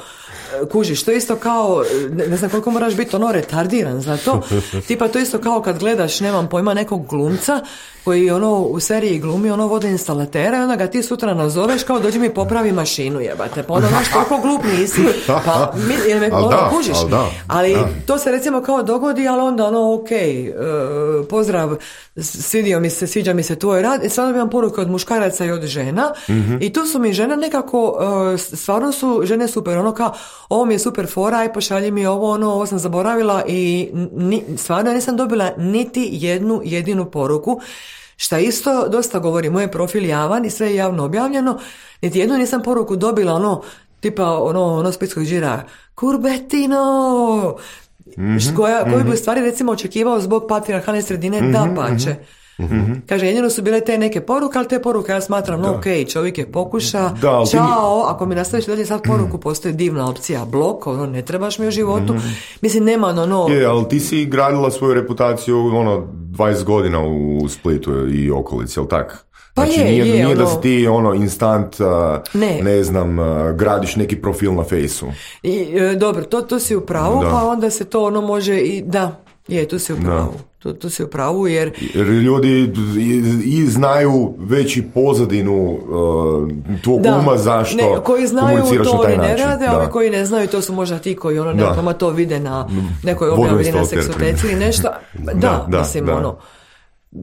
kužiš, to je isto kao, ne znam koliko moraš biti ono retardiran za to. Tipa to isto kao kad gledaš, nemam pojma, nekog glumca koji ono u seriji glumi ono vodoinstalatera i onda ga ti sutra nazoveš kao dođi mi popravi mašinu, jebate. Pa onda znaš toliko glup nisi. Pa, mi, jer me ono da, kužiš. Ali, da, ali da. To se recimo kao dogodi, ali onda ono ok, uh, pozdrav, svidio mi se, sviđa mi se tvoj rad. I sad dobijam poruke od muškaraca i od žena. Mm-hmm. I tu su mi žene nekako, uh, stvarno su žene super, ono kao, ovo mi je super fora, aj pošalji mi ovo, ono, ovo sam zaboravila i ni, stvarno nisam dobila niti jednu jedinu poruku, šta isto dosta govori, moj profil javan i sve je javno objavljeno, niti jednu nisam poruku dobila, ono, tipa, ono, ono splitskog žira, kurbetino, mm-hmm. koja, koju bi u stvari recimo očekivao zbog patrijarhalne sredine, mm-hmm. da pače. Mm-hmm. Kaže, jedino su bile te neke poruke, ali te poruke ja smatram, no ok, čovjek je pokuša, da, čao, mi... ako mi nastaviš dalje sad poruku, postoji divna opcija, blok, ono, ne trebaš mi u životu, mm-hmm. mislim, nema ono... Je, ali ti si gradila svoju reputaciju, ono, dvadeset godina u Splitu i okolici, jel tak? Pa znači, je, nije, je, nije ono... da si ti ono instant, uh, ne. ne znam, uh, gradiš neki profil na fejsu. I, e, dobro, to, to si u pravu, da. Pa onda se to ono može i, da, je, tu si u pravu. Tu, tu si u pravu, jer... jer ljudi i, i znaju već i pozadinu uh, tvog da, uma zašto ne, koji znaju komuniciraš to na taj oni ne način. rade, da. ali koji ne znaju to su možda ti koji ono nekoma to vide na nekoj objavi na seksoteci ili nešto. Da, da, da mislim da. ono...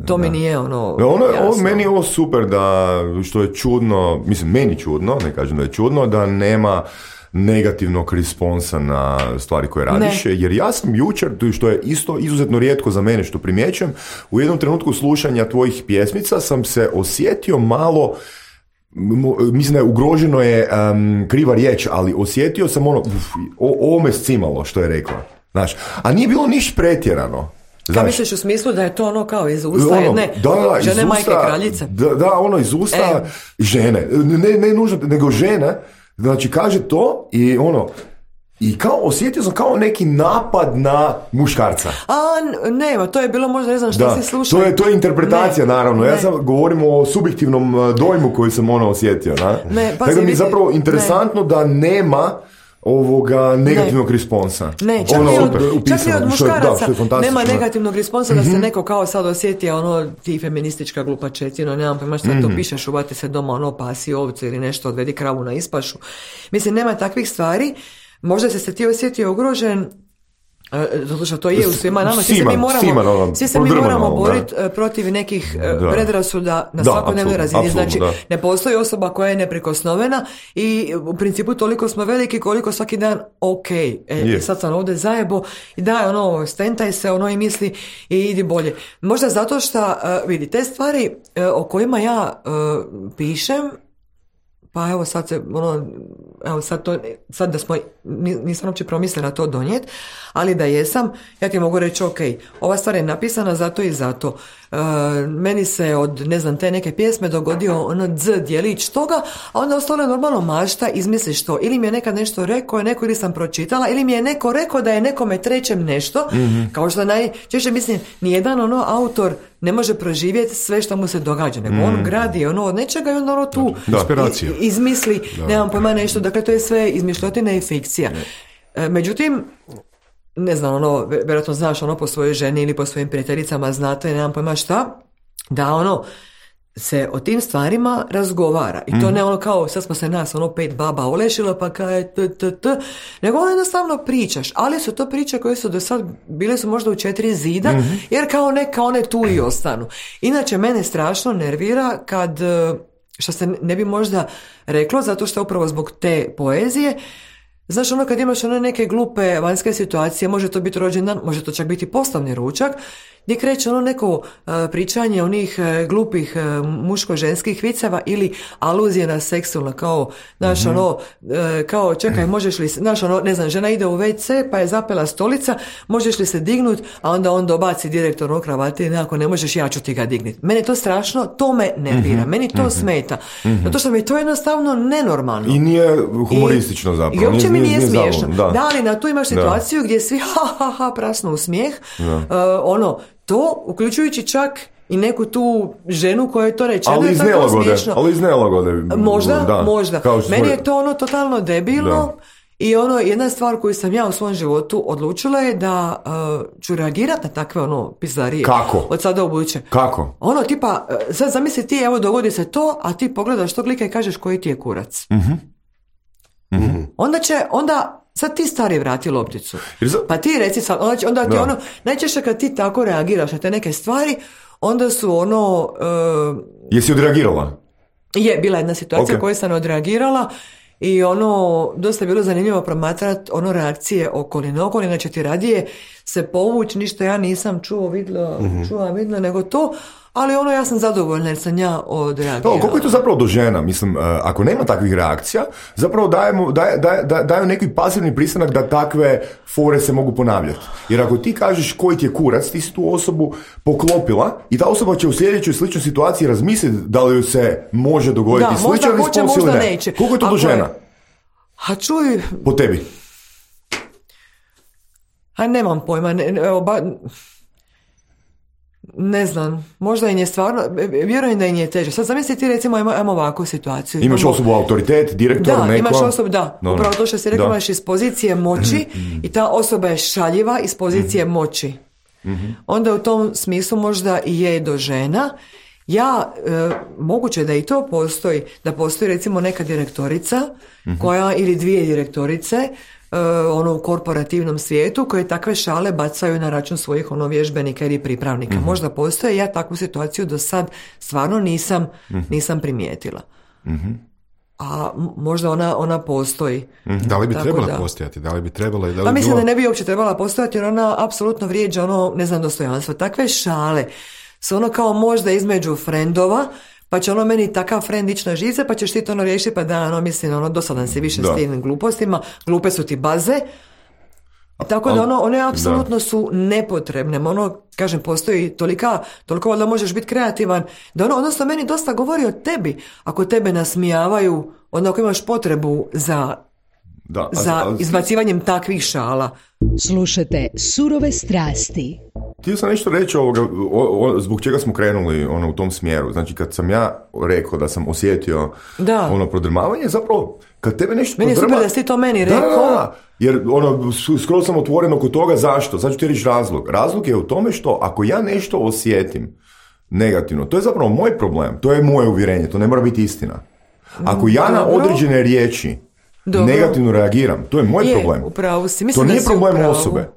To da. mi nije ono... ono ovo, meni je ovo super da, što je čudno, mislim meni čudno, ne kažem da je čudno, da nema negativnog responsa na stvari koje radiš, ne. Jer ja sam jučer, što je isto izuzetno rijetko za mene što primjećujem, u jednom trenutku slušanja tvojih pjesmica sam se osjetio malo, mislim da je ugroženo je um, kriva riječ, ali osjetio sam ono, uf, o, ovo me scimalo što je rekla, znaš, a nije bilo niš pretjerano. Kao misliš u smislu da je to ono kao iz usta ono, jedne da, da, žene usta, majke kraljice? Da, da, ono iz usta e. žene, ne, ne nužno, nego žene Znači, kaže to i ono, i kao osjetio sam kao neki napad na muškarca. A, nema, to je bilo možda, ne znam što si slušao. To je, to je interpretacija, ne, naravno. Ne. Ja sam govorim o subjektivnom dojmu koji sam ono osjetio. Na? Ne, Tako da mi je zapravo interesantno ne. da nema ovoga negativnog ne. responsa. Ne, čak, ono, i od, čak i od muškaraca da, nema negativnog responsa da se mm-hmm. neko kao sad osjeti ono ti feministička glupačetina, nemam pojma što mm-hmm. to pišeš, uvati se doma, ono pasi ovcu ili nešto, odvedi kravu na ispašu. Mislim, nema takvih stvari. Možda se se ti osjetio ugrožen, zato što to je u svima nama, svi se mi moramo, Siman, svi se mi moramo boriti protiv nekih da. predrasuda na svakodnevnoj razini. Znači, da. ne postoji osoba koja je neprikosnovena i u principu toliko smo veliki koliko svaki dan ok, e, yes. sad sam ovdje zajebo i daj ono, stentaj se ono i misli i idi bolje. Možda zato što, uh, vidi, te stvari uh, o kojima ja uh, pišem, pa evo sad se, ono, evo sad to, sad da smo, nisam uopće promislila to donijeti, ali da jesam, ja ti mogu reći, ok, ova stvar je napisana zato i zato. E, meni se od, ne znam, te neke pjesme dogodio ono dz dijelić toga, a onda ostalo je normalno mašta, izmisliš to. Ili mi je nekad nešto rekao, je neko ili sam pročitala, ili mi je neko rekao da je nekome trećem nešto, mm-hmm. kao što najčešće mislim, nijedan ono autor ne može proživjeti sve što mu se događa, nego mm. on gradi ono od nečega i onda ono tu inspiracija. izmisli, da. nemam pojma nešto, dakle to je sve izmišljotina i fikcija. E, međutim, ne znam, ono, vjerojatno znaš ono po svojoj ženi ili po svojim prijateljicama, znate, nemam pojma šta, da ono se o tim stvarima razgovara. I to mm. ne ono kao, sad smo se nas ono pet baba olešilo, pa kaj t, t, t, nego ono jednostavno pričaš, ali su to priče koje su do sad bile su možda u četiri zida, mm-hmm. jer kao neka one tu i ostanu. Inače, mene strašno nervira kad, što se ne bi možda reklo, zato što upravo zbog te poezije, znaš, ono kad imaš one neke glupe vanjske situacije, može to biti rođendan, može to čak biti poslovni ručak, gdje kreće ono neko uh, pričanje onih uh, glupih uh, muško-ženskih viceva ili aluzije na seksualno, kao, znaš, mm-hmm. ono, uh, kao, čekaj, možeš li, znaš, ono, ne znam, žena ide u ve ce, pa je zapela stolica, možeš li se dignut, a onda on dobaci direktor u kravati, ako ne možeš, ja ću ti ga dignit. Meni to strašno, to me nervira, mm-hmm. meni to mm-hmm. smeta, mm-hmm. zato što mi je to jednostavno nenormalno. I nije humoristično zapravo. I uopće mi nije, nije smiješno. Da. da, ali na tu imaš situaciju da. gdje svi ha, ha, ha, prasnu u smijeh, uh, ono, to, uključujući čak i neku tu ženu koja je to rečeno, ali iz nelagode, ali iz nelagode. Možda, da, možda. Meni je to ono totalno debilno da. I ono, jedna stvar koju sam ja u svom životu odlučila je da uh, ću reagirati na takve ono pizdarije. Kako? Od sada u buduće. Kako? Ono tipa, sad zamisli ti, evo dogodi se to, a ti pogledaš tog lika i kažeš koji ti je kurac. Mhm. Mm-hmm. Onda će, onda sad ti stari vrati lopticu. Pa ti reci sad, onda, onda ti da. ono, najčešće kad ti tako reagiraš na te neke stvari, onda su ono... Uh, Jesi odreagirala? Je, bila jedna situacija okay. koju sam odreagirala i ono, dosta je bilo zanimljivo promatrati ono reakcije okoline. Okolina će ti radije se povući, ništa ja nisam čuo, vidla, mm-hmm. čuva, vidla, nego to... Ali ono, ja sam zadovoljna jer sam ja odreagirala. No, koliko je to zapravo do žena? Mislim, ako nema takvih reakcija, zapravo dajemo, daj, daj, daj, daju neki pasivni pristanak da takve fore se mogu ponavljati. Jer ako ti kažeš koji ti je kurac, ti si tu osobu poklopila i ta osoba će u sljedećoj sličnoj situaciji razmisliti da li joj se može dogoditi da, sličan respons ili ne. Neće. Koliko je to ako do žena? A čuj... Po tebi? A nemam pojma, ne, evo, ba... Ne znam, možda im je stvarno, vjerujem da im je teže. Sad zamisli ti recimo, imamo, imamo ovakvu situaciju. Imaš imamo, osobu autoritet, direktor, da, neko? Da, imaš osobu, da. No, upravo to što si rekao, imaš iz pozicije moći i ta osoba je šaljiva iz pozicije mm-hmm. moći. Mm-hmm. Onda u tom smislu možda i je do žena. Ja, e, moguće da i to postoji, da postoji recimo neka direktorica mm-hmm. koja, ili dvije direktorice, Uh, ono u korporativnom svijetu koje takve šale bacaju na račun svojih ono vježbenika ili pripravnika. Mm-hmm. Možda postoje, ja takvu situaciju do sad stvarno nisam, mm-hmm. nisam primijetila. Mm-hmm. A možda ona, ona postoji. Mm-hmm. Da li bi trebala da... postojati? Da li bi trebala? Da li pa mislim bilo... da ne bi uopće trebala postojati jer ona apsolutno vrijeđa ono, ne znam, dostojanstvo. Takve šale su ono kao možda između frendova, pa će ono meni takav friend ići na žice, pa ćeš ti to ono riješiti, pa da, ono, mislim, ono, dosadan si više da. S tim glupostima, glupe su ti baze. Tako da ono, one apsolutno da. su nepotrebne. Ono, kažem, postoji tolika, toliko da možeš biti kreativan, da ono, odnosno meni dosta govori o tebi. Ako tebe nasmijavaju, onda ako imaš potrebu za, da, za ali, ali... izbacivanjem takvih šala. Slušajte Surove strasti. Htio sam nešto reći ovoga, o, o, zbog čega smo krenuli ono, u tom smjeru. Znači, kad sam ja rekao da sam osjetio da. ono prodrmavanje, zapravo, kad tebe nešto meni prodrma... Meni je super da si to meni rekao. Da, da, jer ono, skoro sam otvoren oko toga. Zašto? Sad ću ti reći razlog. Razlog je u tome što ako ja nešto osjetim negativno, to je zapravo moj problem. To je moje uvjerenje. To ne mora biti istina. Ako ja na određene riječi Dobro. negativno reagiram, to je moj je, problem. Upravo si. Mislim to nije da problem upravo. osobe.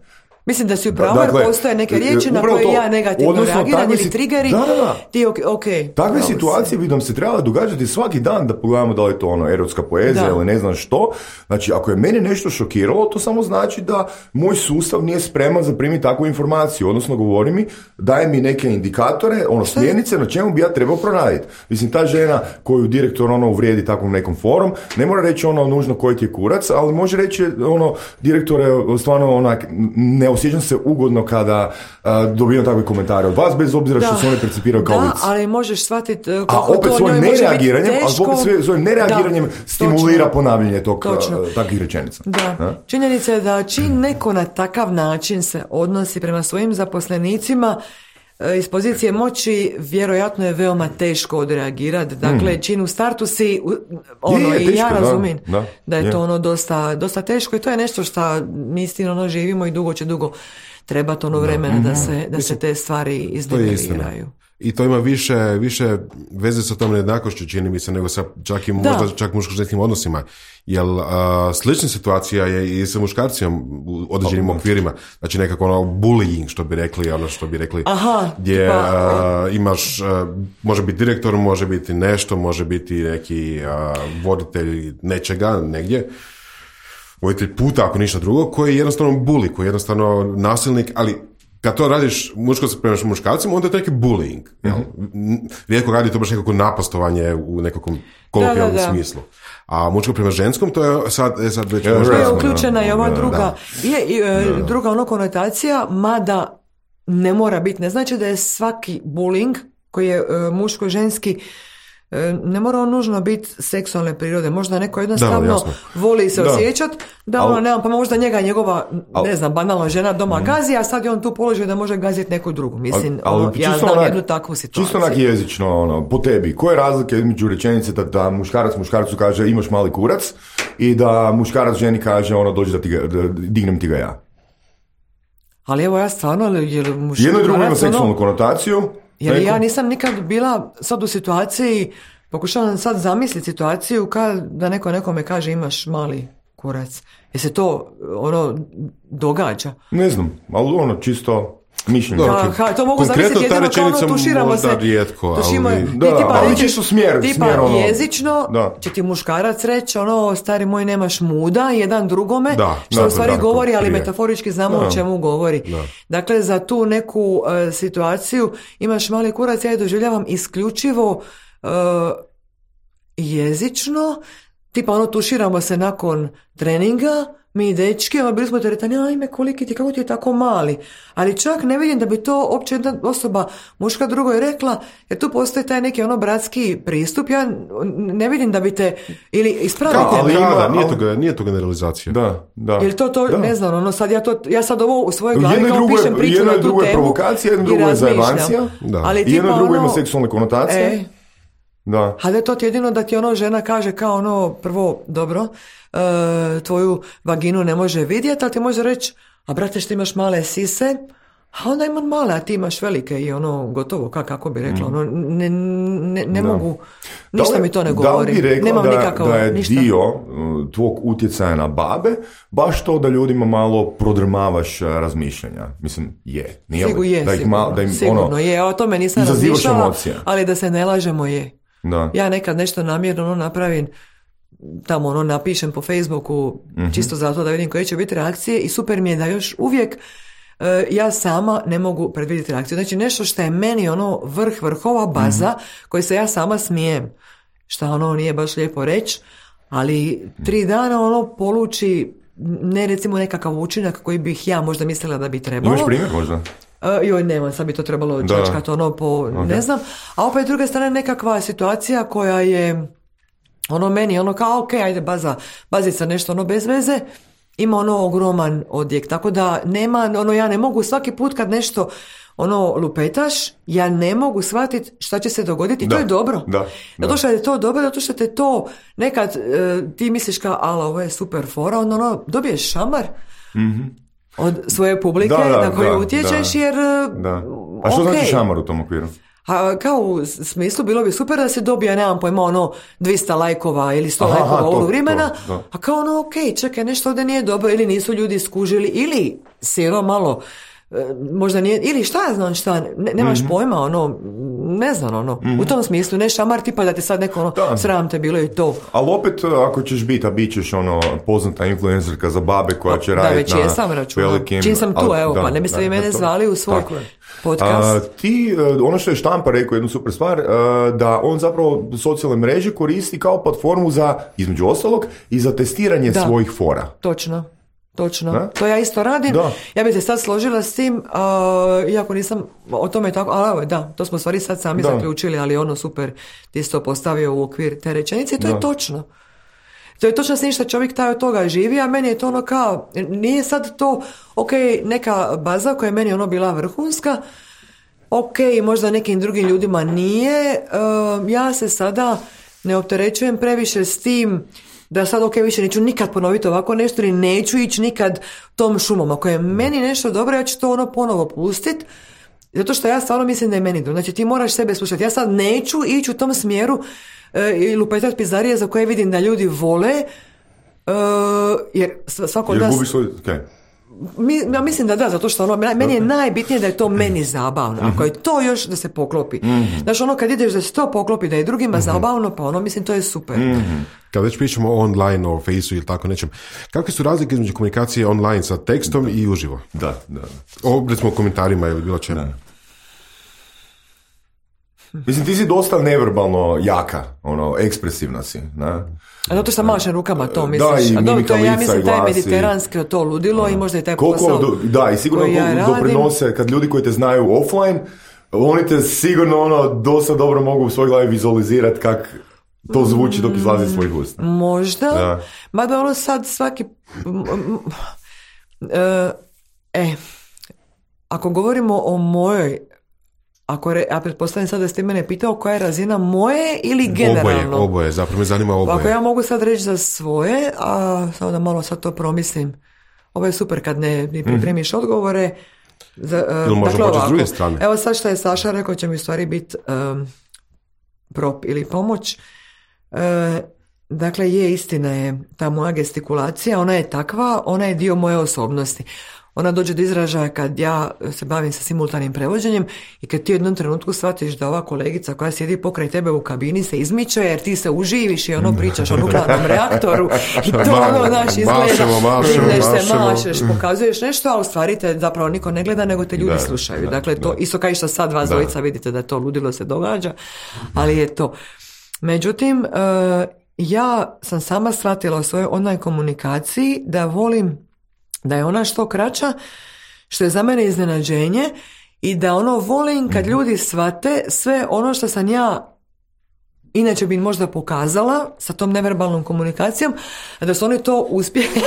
Mislim da si upravo, dakle, jer postoje neke riječi na koje to, ja negativno reagiram ili triggeri, da, da, da. ti ok, ok. Takve situacije bi nam se trebala događati svaki dan da pogledamo da li je to ono erotska poezija da. ili ne znam što. Znači, ako je mene nešto šokiralo, to samo znači da moj sustav nije spreman za primiti takvu informaciju, odnosno govori mi, daje mi neke indikatore, ono smjernice na čemu bi ja trebao proraditi. Mislim, ta žena koju direktor ono uvrijedi takvom nekom forum, ne mora reći ono nužno koji ti je kurac, ali može reći ono direktore, stvarno onak, ne osjećam se ugodno kada uh, dobivam takve komentare od vas, bez obzira da. što se one percipiraju kao da, vic. Da, ali možeš shvatiti uh, kako to njoj može biti teško. A opet svojim, svojim nereagiranjem da, stimulira točno. ponavljanje tog, uh, takvih rečenica. Da. A? Činjenica je da čim neko na takav način se odnosi prema svojim zaposlenicima, iz pozicije moći vjerojatno je veoma teško odreagirati. Dakle, mm. čin u startu si ono, je, je, i ja razumijem da, da, da je, je to ono dosta, dosta teško i to je nešto što mi istina ono živimo i dugo će dugo trebati ono vremena da, da se, da se te stvari izniveliraju. I to ima više, više veze sa tom nejednakošću, čini mi se, nego sa čak i možda čak muško-ženskim odnosima. Jer uh, slična situacija je i sa muškarcima u određenim oh, okvirima. Znači nekako ono bullying, što bi rekli, ono što bi rekli. Aha, gdje uh, imaš, uh, može biti direktor, može biti nešto, može biti neki uh, voditelj nečega, negdje. Voditelj puta, ako ništa drugo, koji je jednostavno bully, koji je jednostavno nasilnik, ali kad to radiš muško prema muškarcima, onda je to neki bullying. Mm-hmm. Rijetko radi to baš nekako napastovanje u nekakvom kolokvijalnom smislu. A muško prema ženskom, to je sad, je sad već... Je, je uključena i ova druga, da. je, i, da, da. druga ono konotacija, mada ne mora biti. Ne znači da je svaki bullying koji je uh, muško-ženski ne mora on nužno biti seksualne prirode. Možda neko jednostavno da, voli se osjećati da ono, nemam, pa možda njega njegova, al, ne znam, banalna žena doma mm. gazi, a sad je on tu položio da može gaziti neku drugu. Mislim, al, al, ono, ja znam onak, jednu takvu situaciju. Čisto onak jezično, ono, po tebi. Koja je razlika između rečenice da, da muškarac muškarcu kaže imaš mali kurac i da muškarac ženi kaže ono dođi da, ti ga, da dignem ti ga ja? Ali evo ja stvarno, jer muškarac... Jedno i drugo ima seksualnu ono, konotaciju. Jer ja nisam nikad bila sad u situaciji, pokušavam sad zamisliti situaciju kao da neko nekome kaže imaš mali kurac. Je se to ono događa? Ne znam, ali ono čisto mišljenje. Ha, ha, to mogu zamisliti jedino kao ono tuširamo se. Rijetko, tušimo, ali... Da, da, tipa, ali reći, čisto smjer. Tipa smjer, ono, jezično da. Će ti muškarac reći ono stari moj nemaš muda jedan drugome, da, što da, u stvari da, govori, ali prije. metaforički znamo da. O čemu govori. Da. Dakle, za tu neku uh, situaciju imaš mali kurac, ja je doživljavam isključivo uh, jezično, tipa ono tuširamo se nakon treninga, mi dečki, ono bili smo teretani, ajme koliki ti, kako ti je tako mali. Ali čak ne vidim da bi to uopće jedna osoba, muška drugo je rekla, jer tu postoji taj neki ono bratski pristup, ja ne vidim da bi te, ili ispravite. Da, ali ima, da, nije, to, nije to generalizacija. Da, da. Jer to, to da. Ne znam, ono sad ja to, ja sad ovo u svojoj glavi kao drugo, pišem priču na tu temu. Jedno drugo je provokacija, jedno drugo je zajebancija, ali jedno drugo ono, ima seksualne konotacije. E, da. A da je to ti jedino da ti ono žena kaže kao ono, prvo, dobro, e, tvoju vaginu ne može vidjeti, ali ti može reći, a brate što imaš male sise, a onda imam male, a ti imaš velike i ono, gotovo, kako, kako bi rekla, ono, ne, ne, ne mogu, ništa li, mi to ne govori. Da li bi rekla Nemam da, nikakav, da je ništa. dio tvog utjecaja na babe, baš to da ljudima malo prodrmavaš razmišljanja? Mislim, je. Nije Sigur, je, da ih sigurno, mal, da im, sigurno ono, je, o tome nisam razmišljala, ali da se ne lažemo je. Da. Ja nekad nešto namjerno ono napravim, tamo ono napišem po Facebooku, mm-hmm. čisto zato da vidim koje će biti reakcije i super mi je da još uvijek uh, ja sama ne mogu predvidjeti reakciju. Znači nešto što je meni ono vrh vrhova baza mm-hmm. koji se ja sama smijem, što ono nije baš lijepo reći, ali tri dana ono poluči ne recimo nekakav učinak koji bih ja možda mislila da bi trebalo. Imaš primjer možda? Uh, joj, nema, sad bi to trebalo čačkati ono po, okay. ne znam. A opet s druge strane nekakva situacija koja je ono meni, ono kao, ok, ajde baza, bazica nešto ono bez veze, ima ono ogroman odjek. Tako da nema, ono ja ne mogu svaki put kad nešto ono lupetaš, ja ne mogu shvatiti šta će se dogoditi i da, to je dobro. Da, zato što je to dobro, zato što te to nekad e, ti misliš kao, ala, ovo je super fora, ono, ono dobiješ šamar mm-hmm. od svoje publike da, da, na koju da, utječeš da, jer... Da. A što okay. znači šamar u tom okviru? A kao u smislu bilo bi super da se dobije, nemam pojma, ono dvjesto lajkova ili sto aha, lajkova ovog vremena, to, to. A kao ono, ok, čekaj, nešto ovdje nije dobro, ili nisu ljudi skužili, ili siro malo, možda nije, ili šta ja znam šta, ne, nemaš mm-hmm. pojma, ono, ne znam, ono, mm-hmm. u tom smislu, ne šamar tipa da te sad neko, ono, da. Sram te bilo i to. Ali opet, ako ćeš biti, a bit ćeš, ono, poznata influencerka za babe koja će raditi na velikim... Čim sam tu, ali, evo, da, pa ne biste vi mene zvali u svoj podcast. A, ti, ono što je Štampa rekao, jednu super stvar, da on zapravo socijalne mreže koristi kao platformu za, između ostalog, i za testiranje da. Svojih fora. Točno. Točno, da? To ja isto radim. Da. Ja bih se sad složila s tim, uh, iako nisam o tome tako, ali da, to smo stvari sad sami da. Zaključili, ali ono super, ti isto postavio u okvir te rečenice i to da. Je točno. To je točno s ništa čovjek taj od toga živi, a meni je to ono kao, nije sad to, ok, neka baza koja je meni ono bila vrhunska, ok, možda nekim drugim ljudima nije, uh, ja se sada ne opterećujem previše s tim da sad ok, više neću nikad ponoviti ovako nešto ili neću ići nikad tom šumom. Ako je meni nešto dobro, ja ću to ono ponovo pustit, zato što ja stvarno mislim da je meni dobro. Znači ti moraš sebe slušati. Ja sad neću ići u tom smjeru e, i lupetat pizarije za koje vidim da ljudi vole, e, jer svako od nas... Jer gubiš svoj... Okay. Mi, ja mislim da da, zato što ono, meni je najbitnije da je to meni zabavno. Mm-hmm. Ako je to još da se poklopi. Mm-hmm. Znači ono kad ideš da se to poklopi, da je drugima mm-hmm. zabavno, pa ono mislim to je super. Mm-hmm. Kad već pričamo online o Faceu ili tako nečem, kakve su razlike između komunikacije online sa tekstom da. I uživo? Da, da. O, recimo komentarima ili bilo čemu. Mislim, ti si dosta neverbalno jaka, ono, ekspresivna si, ne? A zato što mašem rukama to misliš? Da, i mimika lica, ja mislim i glasi. Taj mediteranski to ludilo i možda je taj koliko, posao do, da, i sigurno ja doprinose, kad ljudi koji te znaju offline, oni te sigurno ono, dosta dobro mogu u svoj glavi vizualizirati kak to zvuči dok izlazi iz svojih usta. Možda, da. Mada ono sad svaki... E, e, ako govorimo o mojoj, ako re, ja pretpostavljam sad da ste mene pitao koja je razina moje ili generalno. Oboje, oboje, zapravo me zanima oboje. Ako ja mogu sad reći za svoje, a samo da malo sad to promislim. Ovo je super kad ne, ne pripremiš mm. odgovore. Za, uh, ili možemo početi s druge strane. Evo sad što je Saša rekao će mi u stvari biti um, prop ili pomoć. Uh, dakle, je istina je ta moja gestikulacija, ona je takva, ona je dio moje osobnosti. Ona dođe do izražaja kad ja se bavim sa simultanim prevođenjem i kad ti u jednom trenutku shvatiš da ova kolegica koja sjedi pokraj tebe u kabini se izmiče jer ti se uživiš i ono pričaš o nuklearnom reaktoru i to ono, znaš, izgleda, mašemo, mašemo, vidiš se, mašemo. mašeš, pokazuješ nešto, a u stvari te zapravo niko ne gleda, nego te ljudi da, slušaju. Da, dakle, to da. isto kao i što sad vas dvojica vidite da to ludilo se događa, ali je to. Međutim, uh, ja sam sama shvatila u svojoj online komunikaciji da volim da je ona što kraća, što je za mene iznenađenje i da ono volim kad ljudi shvate sve ono što sam ja inače bi možda pokazala sa tom neverbalnom komunikacijom, a da su oni to uspjeli.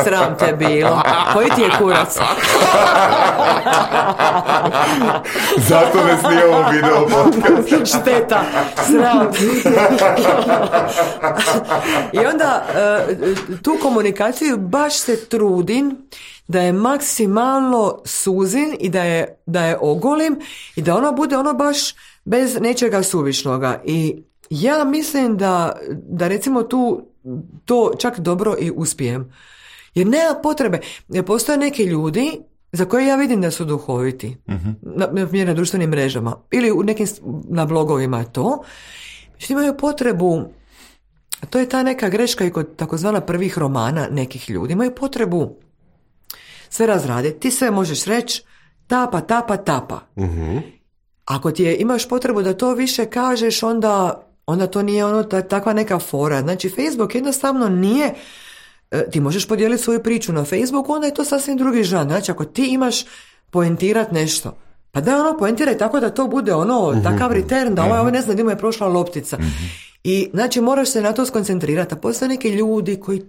Sram te bilo. Koji ti je kurac? Zato ne snijemo video podcast. Šteta. Sram. I onda tu komunikaciju baš se trudim da je maksimalno suzin i da je, da je ogolim i da ona bude ono baš bez nečega suvišnoga. I ja mislim da, da recimo tu to čak dobro i uspijem. Jer nema potrebe. Postoje neki ljudi za koje ja vidim da su duhoviti. Uh-huh. Na, na, na društvenim mrežama. Ili u nekim, na blogovima to. Što imaju potrebu, to je ta neka greška i kod takozvana prvih romana nekih ljudi. Imaju potrebu sve razraditi. Ti sve možeš reći tapa, tapa, tapa. Uh-huh. Ako ti je, imaš potrebu da to više kažeš, onda, onda to nije ono ta, takva neka fora. Znači, Facebook jednostavno nije ti možeš podijeliti svoju priču na Facebooku, onda je to sasvim drugi žan. Znači, ako ti imaš poentirat nešto, pa da ono poentiraj tako da to bude ono, takav return, da ovaj, ovaj ne zna gdje mu je prošla loptica. I znači moraš se na to skoncentrirati. A postoje neki ljudi koji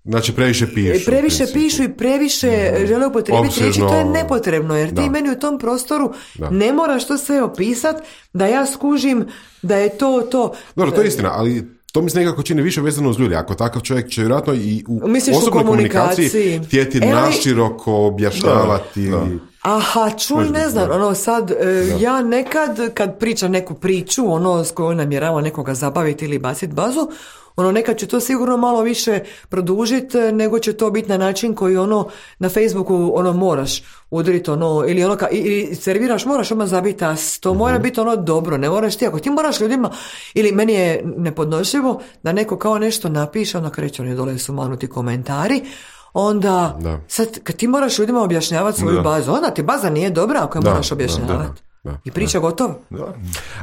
Znači previše pišu. Previše pišu i previše mm. žele upotrijebiti riječi, to je nepotrebno, jer da. ti meni u tom prostoru da. ne moraš to sve opisati, da ja skužim da je to to. Dobro, to je istina, ali to mi se nekako čini više vezano uz ljudi. Ako takav čovjek će vjerojatno i u Misliš osobnoj u komunikaciji, komunikaciji htjeti e, naširoko objašnjavati. Da, da. Aha, čuj, ne znam, ono sad, e, ja nekad kad pričam neku priču, ono s kojom namjerava nekoga zabaviti ili baciti bazu, ono nekad će to sigurno malo više produžiti nego će to biti na način koji ono na Facebooku ono moraš udriti ono ili ono ka, ili serviraš, moraš odmah zabiti as, to mm-hmm. mora biti ono dobro, ne moraš ti, ako ti moraš ljudima, ili meni je nepodnošljivo da neko kao nešto napiše, onda kreće oni dole su manuti komentari, onda da. sad kad ti moraš ljudima objašnjavati svoju da. bazu, onda ti baza nije dobra ako je da, moraš objašnjavati. Da, I priča da. gotova. Da.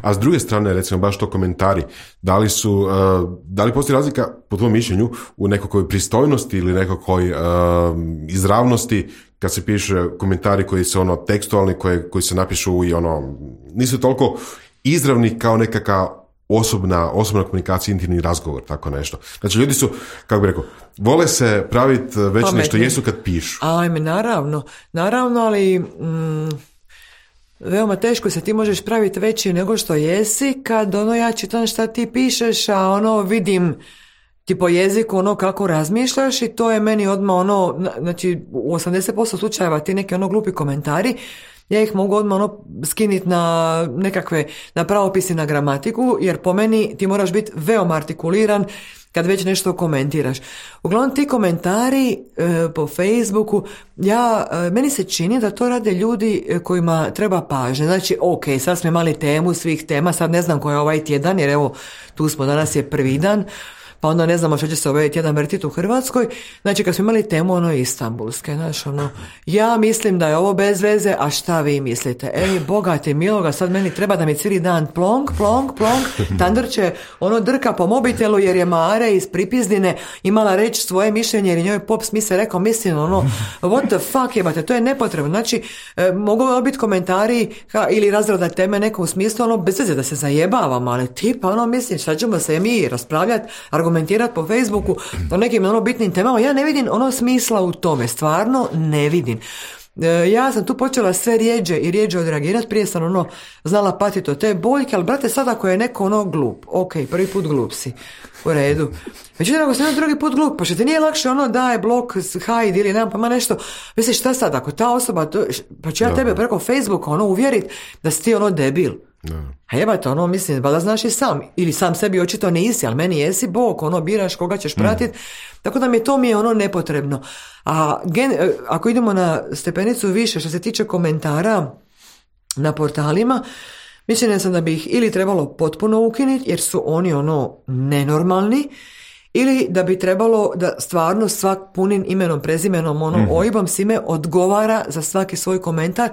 A s druge strane, recimo, baš to komentari, da li su, uh, da li postoji razlika, po tvojom mišljenju, u nekakvoj pristojnosti ili nekakvoj uh, izravnosti, kad se piše komentari koji su ono tekstualni, koji, koji se napišu i ono, nisu toliko izravni kao nekakav osobna, osobna komunikacija, intimni razgovor, tako nešto. Znači, ljudi su, kako bi rekao, vole se praviti već Pametni. nešto jesu kad pišu. Ajme, naravno, naravno, ali... Mm... veoma teško se ti možeš praviti veći nego što jesi kad ono ja čitam šta ti pišeš, a ono vidim ti po jeziku ono kako razmišljaš i to je meni odmah ono, znači u osamdeset posto slučajeva ti neki ono glupi komentari, ja ih mogu odmah ono skiniti na nekakve, na pravopisi, na gramatiku, jer po meni ti moraš biti veoma artikuliran kad već nešto komentiraš. Uglavnom ti komentari e, po Facebooku, ja, e, meni se čini da to rade ljudi kojima treba pažnje. Znači, ok, sad smo imali temu svih tema, sad ne znam koja je ovaj tjedan, jer evo, tu smo, danas je prvi dan, pa onda ne znamo što će se ovaj tjedan vrtiti u Hrvatskoj. Znači, kad smo imali temu ono istambulske, znaš, ono, ja mislim da je ovo bez veze, a šta vi mislite? Ej, bogate miloga, sad meni treba da mi cijeli dan plonk, plonk, plonk, Tandr će ono drka po mobitelu jer je Mare iz Pripizdine imala reći svoje mišljenje jer je njoj pop smise rekao, mislim, ono, what the fuck jebate, to je nepotrebno. Znači, e, mogu biti komentari ha, ili razrada teme neko u smislu, ono, bez veze da se zajebavamo, ali tipa, ono, mislim, šta ćemo se mi raspravljati, argumentirati po Facebooku o nekim ono bitnim temama, ja ne vidim ono smisla u tome, stvarno ne vidim. E, ja sam tu počela sve rijeđe i rijeđe odreagirati, prije sam ono znala patiti od te boljke, ali brate sad ako je neko ono glup, ok, prvi put glup si, u redu. Međutim, ako sam drugi put glup, pa što ti nije lakše ono daj blok, hide ili nemam pa ma nešto, misliš šta sad, ako ta osoba, to, pa ću ja no. tebe preko Facebooka ono uvjerit da si ti ono debil. No. A jebate, ono, mislim, da znaš i sam, ili sam sebi očito nisi, ali meni jesi Bog, ono, biraš koga ćeš pratiti, mm. tako da mi je to mi je ono nepotrebno. A gen, ako idemo na stepenicu više, što se tiče komentara na portalima, mislim sam da bi ih ili trebalo potpuno ukinuti, jer su oni ono nenormalni, ili da bi trebalo da stvarno svak punim imenom, prezimenom, ono, mm. ojibom svime odgovara za svaki svoj komentar.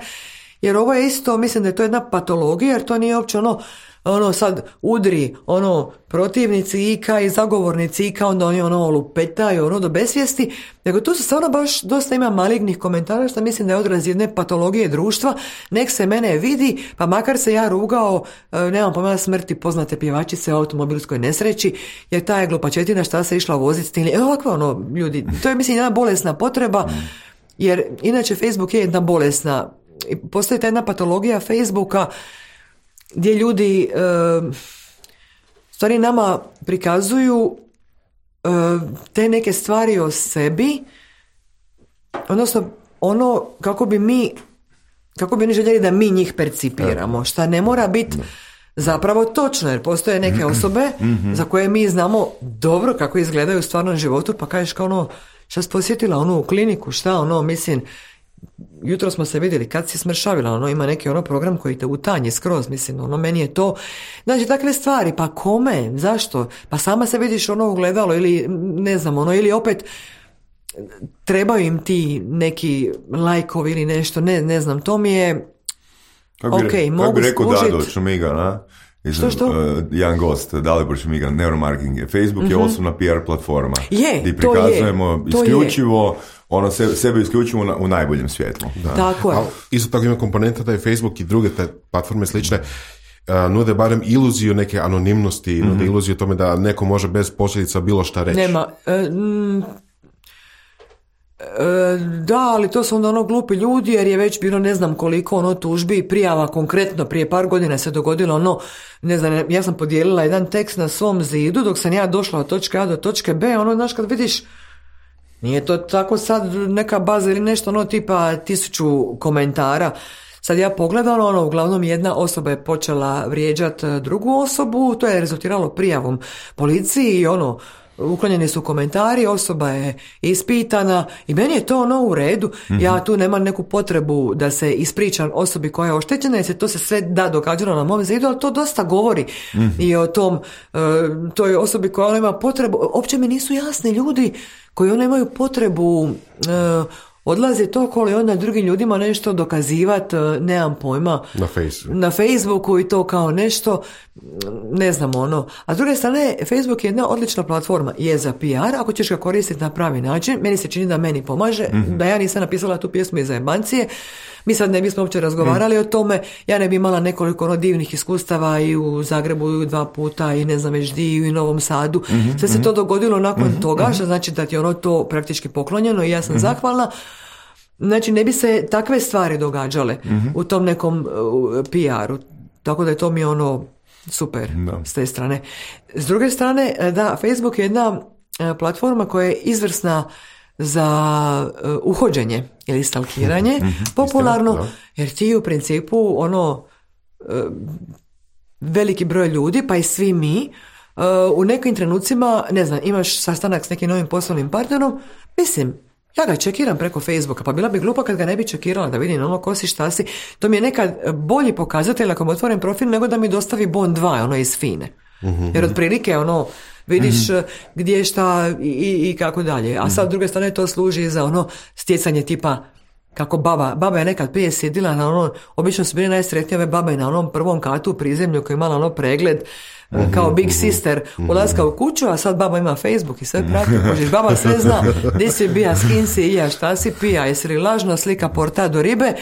Jer ovo je isto, mislim da je to jedna patologija, jer to nije uopće ono, ono sad udri, ono, protivnici I K i zagovornici I K, onda oni ono lupetaju, ono do besvijesti, nego tu se stvarno baš dosta ima malignih komentara, što mislim da je odraz jedne patologije društva, nek se mene vidi, pa makar se ja rugao, nemam pomena smrti poznate pjevačice u automobilskoj nesreći, jer ta je glupačetina šta se išla voziti s tim, evo ovako ono, ljudi, to je mislim jedna bolesna potreba, jer inače Facebook je jedna bolesna, postoji ta jedna patologija Facebooka gdje ljudi e, stvari nama prikazuju e, te neke stvari o sebi, odnosno ono kako bi mi kako bi oni željeli da mi njih percipiramo, šta ne mora biti zapravo točno, jer postoje neke osobe za koje mi znamo dobro kako izgledaju u stvarnom životu, pa kažeš kao ono, šta si posjetila onu kliniku, šta ono, mislim, jutro smo se vidjeli kad si smršavila, ono ima neki ono program koji te utanji skroz, mislim, ono meni je to, znači takve stvari, pa kome, zašto, pa sama se vidiš ono ugledalo ili ne znam, ono, ili opet trebaju im ti neki lajkovi ili nešto, ne, ne znam, to mi je kako bi, ok, kako mogu bi rekao skužit. Dado Čumiga, na? Što, što? Uh, jedan gost, Dalibor Šmigan, neuromarketing je. Facebook mm-hmm. je osobna P R platforma. Je, gdje prikazujemo to je, isključivo to je. ono se, sebe isključivo na, u najboljem svjetlu. Da. Tako je. A, isto tako ima komponenta da je Facebook i druge te platforme slične uh, nude barem iluziju neke anonimnosti, mm-hmm. nude iluziju tome da neko može bez posljedica bilo šta reći. Nema... Uh, mm, E, da, ali to su onda ono glupi ljudi jer je već bilo ne znam koliko ono tužbi i prijava konkretno prije par godina se dogodilo ono, ne znam, ja sam podijelila jedan tekst na svom zidu dok sam ja došla od točke A do točke B, ono, znaš, kad vidiš nije to tako sad neka baza ili nešto ono tipa tisuću komentara. Sad ja pogledala, ono, uglavnom jedna osoba je počela vrijeđati drugu osobu, to je rezultiralo prijavom policiji i ono, uklonjeni su komentari, osoba je ispitana i meni je to ono u redu. Mm-hmm. Ja tu nemam neku potrebu da se ispričam osobi koja je oštećena jer se to se sve da događalo na mom zidu, ali to dosta govori mm-hmm. i o tom uh, toj osobi koja ima potrebu. Uopće mi nisu jasni ljudi koji ono imaju potrebu uh, odlaze toliko i onda drugim ljudima nešto dokazivati, nemam pojma. Na Facebooku. Na Facebooku i to kao nešto, ne znam ono. A s druge strane, Facebook je jedna odlična platforma, je za P R, ako ćeš ga koristiti na pravi način. Meni se čini da meni pomaže, mm-hmm. da ja nisam napisala tu pjesmu iz jebancije. Mi sad ne bismo uopće razgovarali mm. o tome, ja ne bi imala nekoliko ono divnih iskustava i u Zagrebu i dva puta i ne znam već di i u Novom Sadu. Mm-hmm. Sve se to dogodilo nakon mm-hmm. toga, što znači da ti je ono to praktički poklonjeno i ja sam mm-hmm. zahvalna. Znači ne bi se takve stvari događale mm-hmm. u tom nekom uh, P R-u. Tako da je to mi ono super no. s te strane. S druge strane, da, Facebook je jedna uh, platforma koja je izvrsna za uh, uhođenje ili stalkiranje, mm-hmm. popularno, Istina, jer ti u principu ono uh, veliki broj ljudi, pa i svi mi, uh, u nekim trenucima, ne znam, imaš sastanak s nekim novim poslovnim partnerom, mislim, ja ga čekiram preko Facebooka, pa bila bi glupa kad ga ne bi čekirala da vidim ono ko si, šta si. To mi je nekad bolji pokazatelj ako mi otvorim profil nego da mi dostavi bon dva, ono iz Fine. Mm-hmm. Jer otprilike ono vidiš mm-hmm. gdje šta i, i, i kako dalje. A sad s druge strane to služi za ono stjecanje tipa kako baba, baba je nekad prije sjedila na ono, obično su bili najsretnije ove babe na onom prvom katu u prizemlju koji je imala ono pregled mm-hmm, kao Big mm-hmm, Sister ulaska u kuću, a sad baba ima Facebook i sve prati, možeš, baba sve zna, gdje si bija, s kim si, ja, šta si pija, jesi li lažna slika porta do ribe,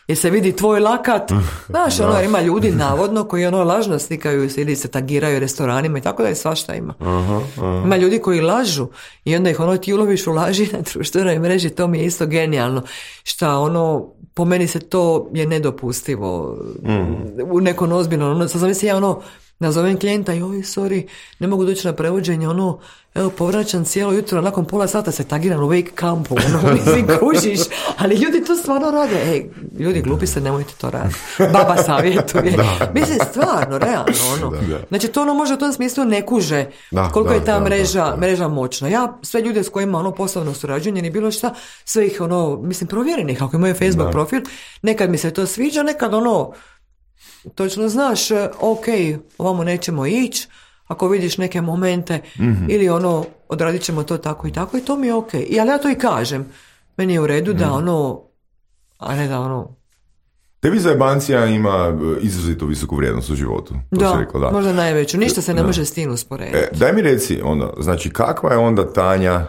jer se vidi tvoj lakat, znaš, ono, ima ljudi navodno koji ono lažno slikaju ili se tagiraju restoranima i tako da je svašta ima. Aha, aha. Ima ljudi koji lažu i onda ih ono ti uloviš u laži na društvenoj mreži, to mi je isto genijalno. Šta ono, po meni se to je nedopustivo mm. u nekom ozbiljnom, ono, sad zamisli ja ono, nazovem klijenta i oj, sorry, ne mogu doći na prevođenje, ono, evo, povraćam cijelo jutro, nakon pola sata se tagiram u wake campu, ono, mislim, kužiš, ali ljudi to stvarno rade, ej, ljudi, glupi se, nemojte to raditi, baba savjetuje, da, mislim, stvarno, realno, ono, da, da. Znači, to ono može u tom smislu ne kuže da, koliko da, je ta da, mreža, da, da. mreža moćna. Ja, sve ljude s kojima, ono, poslovno surađujem, ni bilo šta, sve ih, ono, mislim, provjerenih, ako imaju Facebook da. profil, nekad mi se to sviđa, nekad, ono, točno znaš, ok, ovamo nećemo ići, ako vidiš neke momente, mm-hmm. ili ono, odradit ćemo to tako i tako i to mi je ok. I, ali ja to i kažem, meni je u redu mm-hmm. da ono, a ne da ono... Tebi zajebancija ima izrazito visoku vrijednost u životu. To da, rekla, da, možda najveću. Ništa se ne da. može s tim usporediti. E, daj mi reci, onda, znači kakva je onda Tanja,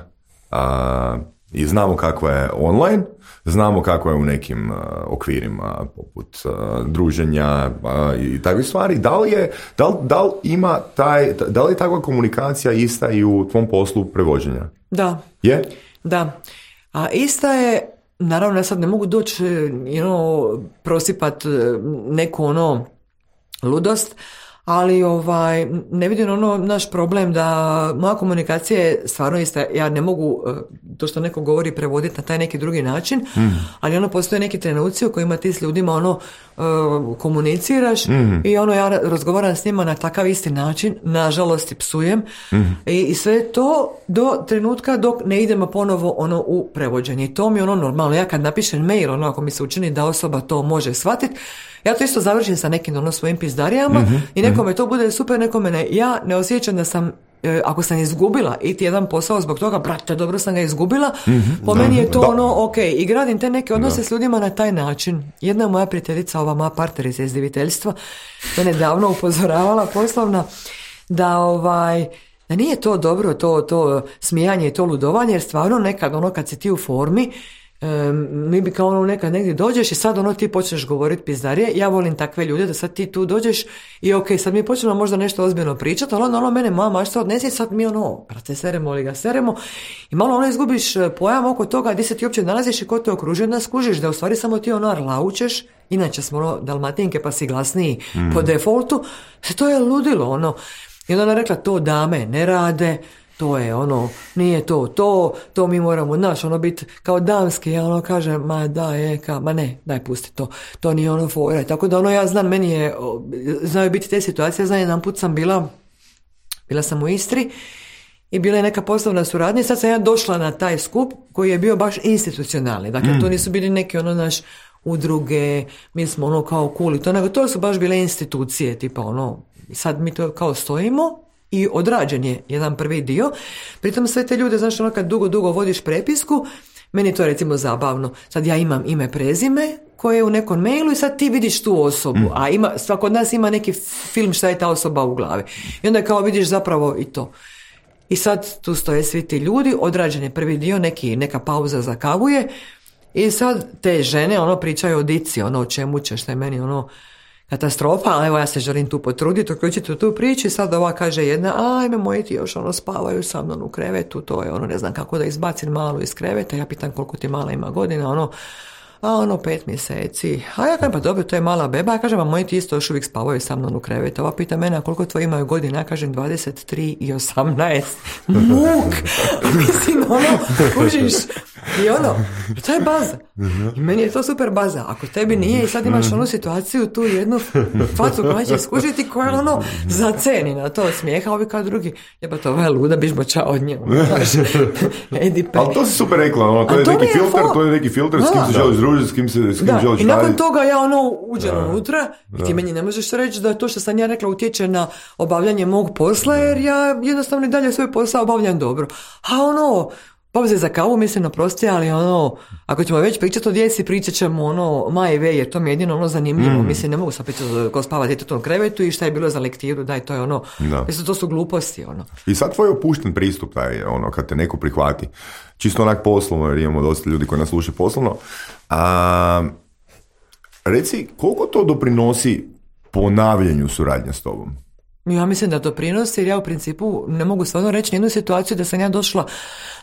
a, i znamo kakva je online, znamo kako je u nekim uh, okvirima poput uh, druženja uh, i takve stvari. Da li je, da li, da li ima taj, da li je takva komunikacija ista i u tvom poslu prevođenja? Da. Je? Da. A ista je, naravno ja sad ne mogu doći you know, prosipat neku ono ludost, ali ovaj, ne vidim ono naš problem da moja komunikacija je stvarno ista. Ja ne mogu to što neko govori prevoditi na taj neki drugi način, mm. ali ono postoje neki trenuci u kojima ti s ljudima ono uh, komuniciraš mm. i ono ja razgovaram s njima na takav isti način, nažalost i psujem mm. I, i sve to do trenutka dok ne idemo ponovo ono u prevođenje. I to mi je ono normalno. Ja kad napišem mail, ono ako mi se učini da osoba to može shvatiti, ja to isto završim sa nekim ono svojim pizdarijama mm-hmm, i nekome mm-hmm. to bude super, nekome ne. Ja ne osjećam da sam e, ako sam izgubila iti jedan posao zbog toga, brate, dobro sam ga izgubila, mm-hmm, po da, meni je to da. ono, ok, i gradim te neke odnose da. s ljudima na taj način. Jedna moja prijateljica, ova moja partnerica iz izdiviteljstva, mene davno upozoravala poslovna, da ovaj, da nije to dobro, to, to smijanje i to ludovanje, jer stvarno nekad ono kad si ti u formi, Um, mi bi kao ono nekad negdje dođeš i sad ono ti počneš govoriti pizdarije. Ja volim takve ljude da sad ti tu dođeš i ok, sad mi počnemo možda nešto ozbiljno pričati, ali ono, ono mene mama što odnesi, sad mi ono, brate, seremo li ga seremo i malo ono izgubiš pojam oko toga gdje se ti uopće nalaziš i ko te okružuje, da skužiš da u stvari samo ti ono arlaučeš, inače smo ono dalmatinke pa si glasniji mm. po defaultu, to je ludilo ono. I onda ona rekla, to dame ne rade, to je ono, nije to, to, to mi moramo, naš, ono biti kao damski, ja ono kažem, ma da je, ka, ma ne, daj pusti to, to nije ono fora. Tako da ono ja znam, meni je, znaju biti te situacije, znam jedan put sam bila, bila sam u Istri i bila je neka poslovna suradnja, sad sam ja došla na taj skup koji je bio baš institucionalni, dakle mm. to nisu bili neki ono naš udruge, mi smo ono kao cool, to, nego to su baš bile institucije, tipa ono, sad mi to kao stojimo, i odrađen je jedan prvi dio. Pritom sve te ljude, znaš, ono kad dugo, dugo vodiš prepisku, meni je to recimo zabavno. Sad ja imam ime, prezime koje je u nekom mailu i sad ti vidiš tu osobu, mm. a ima, svako od nas ima neki film šta je ta osoba u glavi. I onda kao vidiš zapravo i to. I sad tu stoje svi ti ljudi, odrađen je prvi dio, neki, neka pauza za kavu je i sad te žene ono pričaju o dici, ono o čemu će, šta je meni ono katastrofa, ali evo ja se želim tu potruditi, uključiti u tu priču i sad ova kaže jedna, ajme moji ti još ono spavaju sa mnom u krevetu, to je ono ne znam kako da izbacim malu iz kreveta, ja pitam koliko ti mala ima godina, ono, a ono pet mjeseci, a ja kažem pa dobro, to je mala beba, ja kažem a moji ti isto još uvijek spavaju sa mnom u krevetu, ova pita mene a koliko tvoji imaju godina, ja kažem dvadeset tri i osamnaest, muk, mislim ono, kužiš, i ono, to je baza. I meni je to super baza. Ako tebi nije i sad imaš onu situaciju, tu jednu facu koja će skužiti koja ono zaceni na to smijeha, ovi kao drugi, jeba to je luda, biš moća od nje. Ali to si super rekla, ono, to, je to, neki filter, to je neki filter, s kim se želiš družiti, s kim se s kim da, želiš i nakon raditi. Toga ja ono uđem da. unutra i ti da. meni ne možeš reći da to što sam ja rekla utječe na obavljanje mog posla, jer ja jednostavno i dalje svoj posao obavljam dobro. A ono, pauze za kavu, mislim, oprosti, ali ono, ako ćemo već pričati o djeci, pričat ćemo ono, majve, jer to mi je jedino ono zanimljivo, mm. mislim, ne mogu sad pričati ko spava djete u tom krevetu i šta je bilo za lektiru, daj, to je ono, da. mislim, to su gluposti, ono. I sad tvoj opušten pristup, taj, ono, kad te neko prihvati, čisto onak poslovno, jer imamo dosta ljudi koji nas slušaju poslovno, a, reci, koliko to doprinosi ponavljanju suradnje s tobom? Ja mislim da to prinosi, jer ja u principu ne mogu stvarno reći jednu situaciju da sam ja došla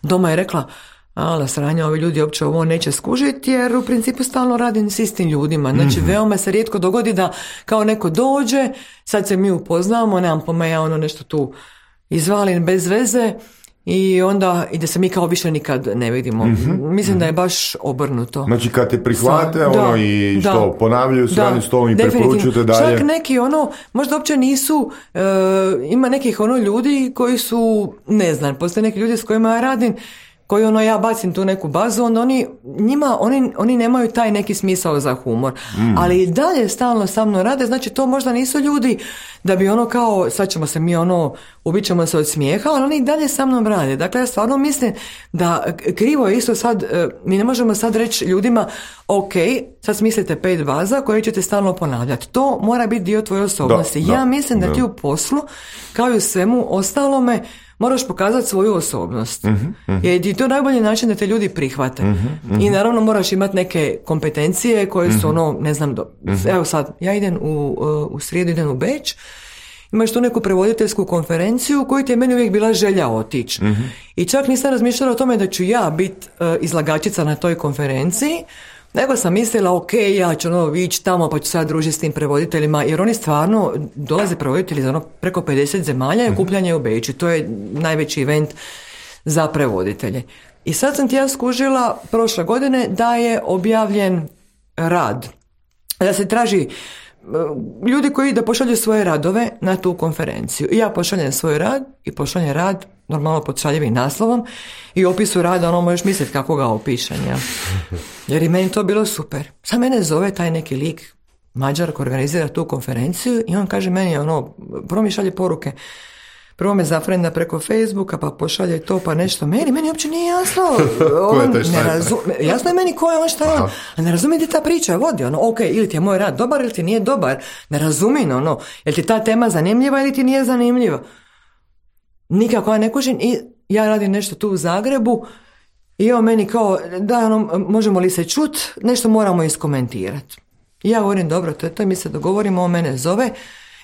doma i rekla, ala sranja, ovi ljudi uopće ovo neće skužiti, jer u principu stalno radim s istim ljudima. Znači, mm-hmm. veoma se rijetko dogodi da kao neko dođe, sad se mi upoznamo, nemam pojma, ja ono nešto tu izvalim bez veze i onda i da se mi kao više nikad ne vidimo. Mm-hmm. Mislim da je baš obrnuto. Znači kad te prihvate Sa, ono da, i što da, ponavljaju suradnju s tobom i preporučuju te dalje. Čak neki ono, možda uopće nisu, e, ima nekih ono ljudi koji su, ne znam, postoje neki ljudi s kojima ja radim, koji ono ja bacim tu neku bazu, onda oni, njima, oni, oni nemaju taj neki smisao za humor. Mm. Ali i dalje stalno sa mnom rade, znači to možda nisu ljudi da bi ono kao, sad ćemo se mi ono, ubit ćemo se od smijeha, ali oni i dalje sa mnom rade. Dakle, ja stvarno mislim da krivo je isto sad, mi ne možemo sad reći ljudima, ok, sad smislite pet baza koje ćete stalno ponavljati. To mora biti dio tvoje osobnosti. Da, ja da, mislim da, da ti u poslu, kao i u svemu ostalome, moraš pokazati svoju osobnost. Uh-huh, uh-huh. Jer je to najbolji način da te ljudi prihvate. Uh-huh, uh-huh. I naravno moraš imati neke kompetencije koje su uh-huh. ono, ne znam, do... uh-huh. evo sad, ja idem u, u srijedu, idem u Beč, imaš tu neku prevoditeljsku konferenciju u kojoj ti je meni uvijek bila želja otići. Uh-huh. I čak nisam razmišljala o tome da ću ja biti uh, izlagačica na toj konferenciji, nego sam mislila, ok, ja ću ono ići tamo pa ću sad družiti s tim prevoditeljima, jer oni stvarno dolaze prevoditelji za ono preko pedeset zemalja i okupljanje u Beču. To je najveći event za prevoditelje. I sad sam ti ja skužila prošle godine da je objavljen rad. Da se traži ljudi koji da pošalju svoje radove na tu konferenciju. I ja pošaljem svoj rad i pošaljem rad normalno pod šaljivim naslovom i opisu rada, ono možeš misliti kako ga opišem, ja. Jer i meni to bilo super. Sad mene zove taj neki lik, Mađar koji organizira tu konferenciju i on kaže meni, ono, prvo mi šalje poruke, prvo me zafrenda preko Facebooka, pa pošalje to, pa nešto meni, meni uopće nije jasno. On je ne razu... Jasno je meni ko je on, šta je on. A ne razumije ti ta priča vodi, ono, ok, ili ti je moj rad dobar, ili ti nije dobar. Ne razumim, ono, jel ti ta tema zanimljiva ili ti nije zanimljiva. Nikako ja ne kužim i ja radim nešto tu u Zagrebu i on meni kao, da, ono, možemo li se čut, nešto moramo iskomentirati. I ja govorim, dobro, to je to, mi se dogovorimo, on mene zove.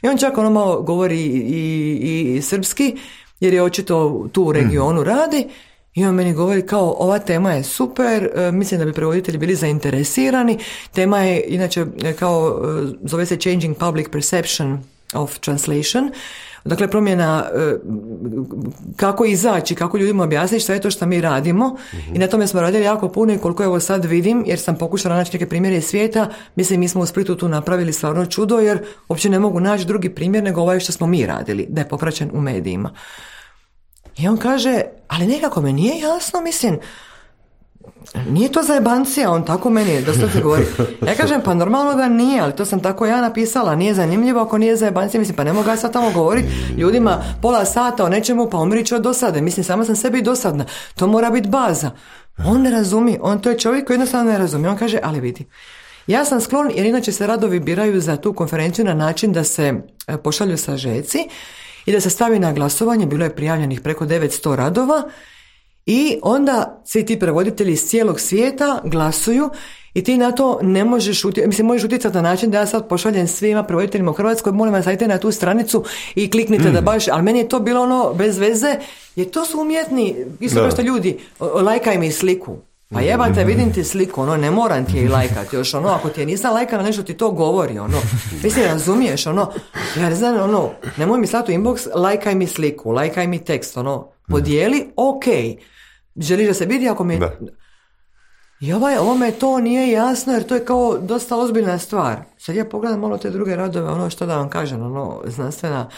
I on čak ono malo govori i, i, i srpski, jer je očito tu u regionu radi. I on meni govori kao, ova tema je super, mislim da bi prevoditelji bili zainteresirani. Tema je, inače, kao, zove se Changing Public Perception of Translation. Dakle, promjena kako izaći, kako ljudima objasniti šta je to što mi radimo. Uh-huh. I na tome smo radili jako puno i koliko evo sad vidim, jer sam pokušala naći neke primjere iz svijeta, mislim mi smo u Splitu tu napravili stvarno čudo, jer uopće ne mogu naći drugi primjer nego ovaj što smo mi radili, da je popraćen u medijima. I on kaže, ali nekako me nije jasno, mislim, nije to zajebancija, on tako meni doslovno govori. Ja kažem, pa normalno da nije, ali to sam tako ja napisala, nije zanimljivo ako nije zajebancija, mislim, pa ne mogu ja sad tamo govoriti ljudima pola sata o nečemu, pa umriću od dosade, mislim, sama sam sebi dosadna, to mora biti baza. On ne razumije, on to je čovjek koji jednostavno ne razumije, on kaže, ali vidi, ja sam sklon, jer inače se radovi biraju za tu konferenciju na način da se pošalju sažeci i da se stavi na glasovanje, bilo je prijavljenih preko devetsto radova. I onda svi ti prevoditelji iz cijelog svijeta glasuju i ti na to ne možeš utjecati, mislim možeš utjecati na način da ja sad pošaljem svima prevoditeljima u Hrvatskoj, molim vas sajte na tu stranicu i kliknite mm. da baš, ali meni je to bilo ono bez veze, jer to su umjetni, isto kao što ljudi, lajkaj mi sliku. Pa jebate, vidim ti sliku, ono, ne moram ti je i lajkati, još ono, ako ti je nisam lajkala nešto ti to govori, ono, mislim, razumiješ, ono, ja ne znam, ono, nemoj mi slati u inbox, lajkaj mi sliku, lajkaj mi tekst, ono, podijeli, ok, želiš da se vidi ako mi... Da. I ovaj, ovome to nije jasno, jer to je kao dosta ozbiljna stvar. Sad ja pogledam malo te druge radove, ono, što da vam kažem, ono, znanstvena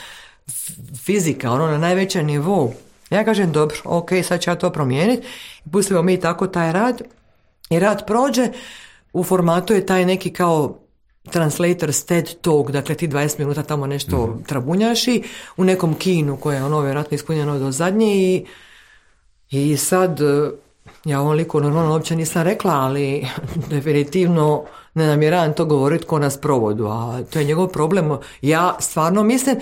fizika, ono, na najvećem nivou. Ja kažem, dobro, ok, sad ću ja to promijeniti. Pustimo mi tako taj rad. I rad prođe, u formatu je taj neki kao translator's TED Talk, dakle ti dvadeset minuta tamo nešto mm-hmm. trabunjaš i u nekom kinu koje je ono vjerojatno ispunjeno do zadnje i, i sad ja ovom liku normalno uopće nisam rekla, ali definitivno ne namjeravam to govoriti ko nas provodu, a to je njegov problem. Ja stvarno mislim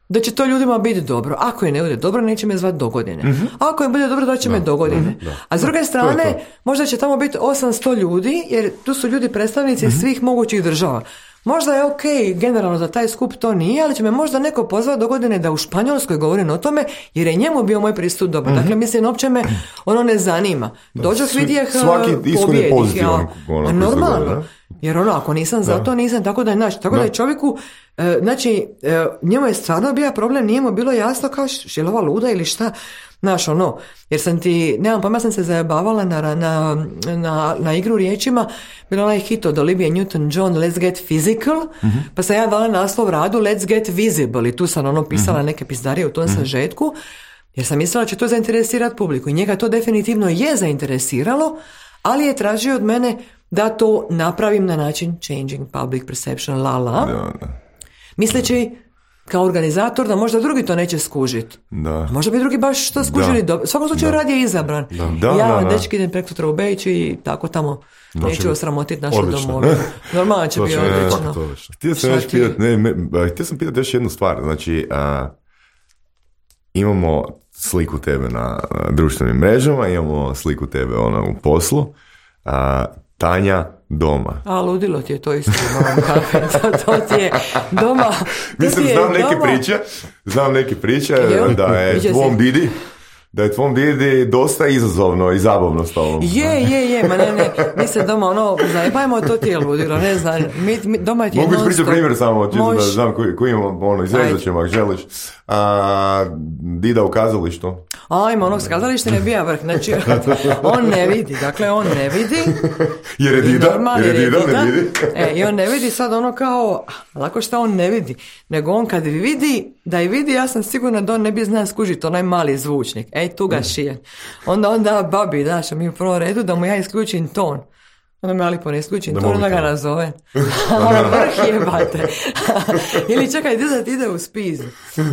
da će to ljudima biti dobro. Ako je ne bude dobro, neće me zvati do godine. Mm-hmm. Ako je bude dobro, da će da. me do godine. Mm-hmm. A s druge strane, to to. možda će tamo biti osamsto ljudi, jer tu su ljudi predstavnici mm-hmm. svih mogućih država. Možda je ok, generalno za taj skup to nije, ali će me možda neko pozvati do godine da u Španjolskoj govorim o tome, jer je njemu bio moj pristup dobar. Mm-hmm. Dakle, mislim, uopće me ono ne zanima. Dođok vidjeh pobjedih. Ja, normalno. Jer ono, ako nisam za to, nisam, tako da je naš. Tako da, da je čovjeku, e, znači, e, njemu je stvarno bio problem, nije mu bilo jasno kao je li ova luda ili šta. Znaš, ono, jer sam ti, nemam pojma, sam se zajebavala na, na, na, na igru riječima, bila onaj hit od Olivia Newton-John, Let's Get Physical, mm-hmm. pa sam ja dala naslov radu Let's Get Visible i tu sam ono pisala mm-hmm. neke pizdarije u tom mm-hmm. sažetku, jer sam mislila da će to zainteresirati publiku i njega to definitivno je zainteresiralo, ali je tražio od mene da to napravim na način changing public perception, la la, da, da. misleći kao organizator da možda drugi to neće skužiti. Da. Možda bi drugi baš to skužili. Da. U svakom slučaju rad je izabran. Da. Da, ja, da, da. dečki, idem preko sutra u Beč i tako tamo da, neću osramotiti našu domovinu. Normalno će biti odlično. Htio sam još pitati, ne, me, htio sam pitati još jednu stvar. Znači, a, imamo sliku tebe na a, društvenim mrežama, imamo sliku tebe ona u poslu. A, Tanja doma. A, ludilo ti je to isto. to, to ti je doma. Mislim, znam neke doma. priče, znam neke priče da je tvom didi, da je tvom didi dosta izazovno i zabavno s tobom. Je, je, je, ma ne, ne, mi se doma ono, zajebajmo, to ti je ludilo, ne znam, mi, mi, doma ti je non-stop. Mogu ispričati primjer samo, čisto da znam koji, koji imam, ono, izrezat ćemo ako želiš. A, dida u kazalištu. Ajmo, onog s kazalište ne bija vrh, znači on ne vidi, dakle on ne vidi. Jer je dida, jer je dida, ne vidi. E, i on ne vidi sad ono kao, lako šta on ne vidi, nego on kad vidi, da i vidi, ja sam sigurna da on ne bi znao skužiti onaj mali zvučnik, ej tu ga šije. Onda onda babi, daš, mi u prvom redu da mu ja isključim ton. onda me Ali poneskućim, to onda ga nazove. Ono vrh jebate. Ili čekaj, ti da ti ide u spiz.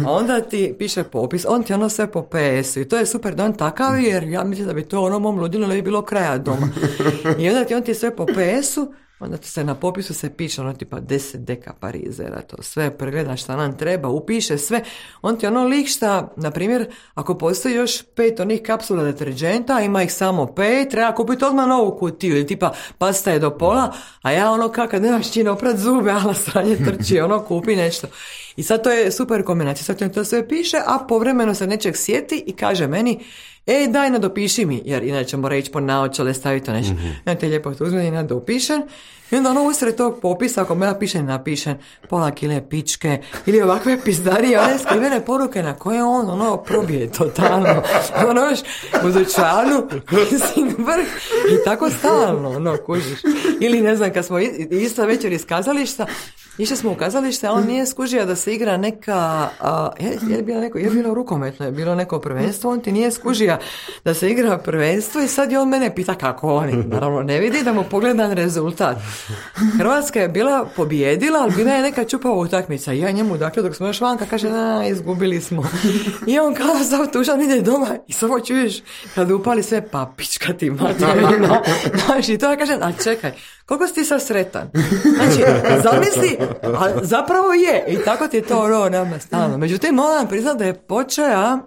A onda ti piše popis, on ti ono sve po P S-u. I to je super da on takav, jer ja mislim da bi to ono mom ludilu ne bi bilo kraja doma. I onda ti on ti sve po P S-u, onda ti se na popisu se piše ono tipa deset deka parizera, to sve pregleda šta nam treba, upiše sve. On ti ono lik šta, na primjer, ako postoji još pet onih kapsula deterđenta, ima ih samo pet, treba kupiti odmah novu kutiju, ili tipa pasta je do pola, a ja ono kad nemaš čine oprat zube, ala sranje trči, ono kupi nešto. I sad to je super kombinacija, sad ti to sve piše, a povremeno se nečeg sjeti i kaže meni, ej daj nadopiši mi, jer inače mora ići po naočale, staviti to nešto. Mm-hmm. Ja te lijepo to uzmem i nadopišem. I onda ono usred tog popisa, ako me ja pišem, napišem pola kile pičke ili ovakve pizdarije, one skrivene poruke na koje on ono probije totalno. Ono još u dućanu, mislim vrh i tako stalno, ono kužiš. Ili ne znam, kad smo ista večer iz kazališta, išli smo u kazalište, a on nije skužio da se igra neka, a, je, je, bilo neko, je bilo rukometno, je bilo neko prvenstvo, on ti nije skužio da se igra prvenstvo i sad je on mene pita kako oni, naravno ne vidi da mu pogledan rezultat. Hrvatska je bila pobijedila, ali bila je neka čupava utakmica i ja njemu, dakle, dok smo još vanka, kaže, na, izgubili smo. I on kao sav tužan ide doma i samo čuješ kad upali sve papička ti materina. Znači, to ja kažem, a čekaj, koliko si ti sad sretan? Znači, zamisli, a zapravo je. I tako ti je to ono nama stalno. Međutim, moram priznati da je počeo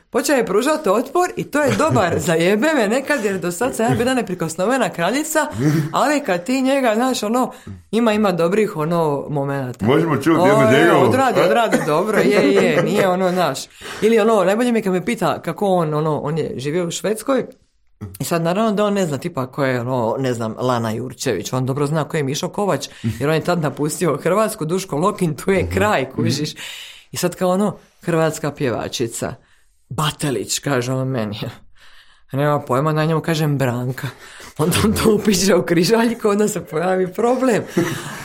počeo je pružati otpor i to je dobar za jebe me nekad, jer do sad sam ja bila neprikosnovena kraljica, ali kad ti njega, znaš, ono, ima ima dobrih ono momenata. Možemo čuti jednu njegovu. Odradi, odradi dobro, je, je, nije ono naš. Ili ono, najbolje mi kad me pita kako on, ono, on je živio u Švedskoj, i sad naravno da on ne zna tipa ko je, ono, ne znam, Lana Jurčević, on dobro zna ko je Mišo Kovač, jer on je tad napustio Hrvatsku, Duško Lokin, tu je kraj, kužiš. I sad kao ono, hrvatska pjevačica, Batelić, kaže on meni. Nema pojma, na njemu kažem Branka. Onda on to upiše u križaljku, onda se pojavi problem.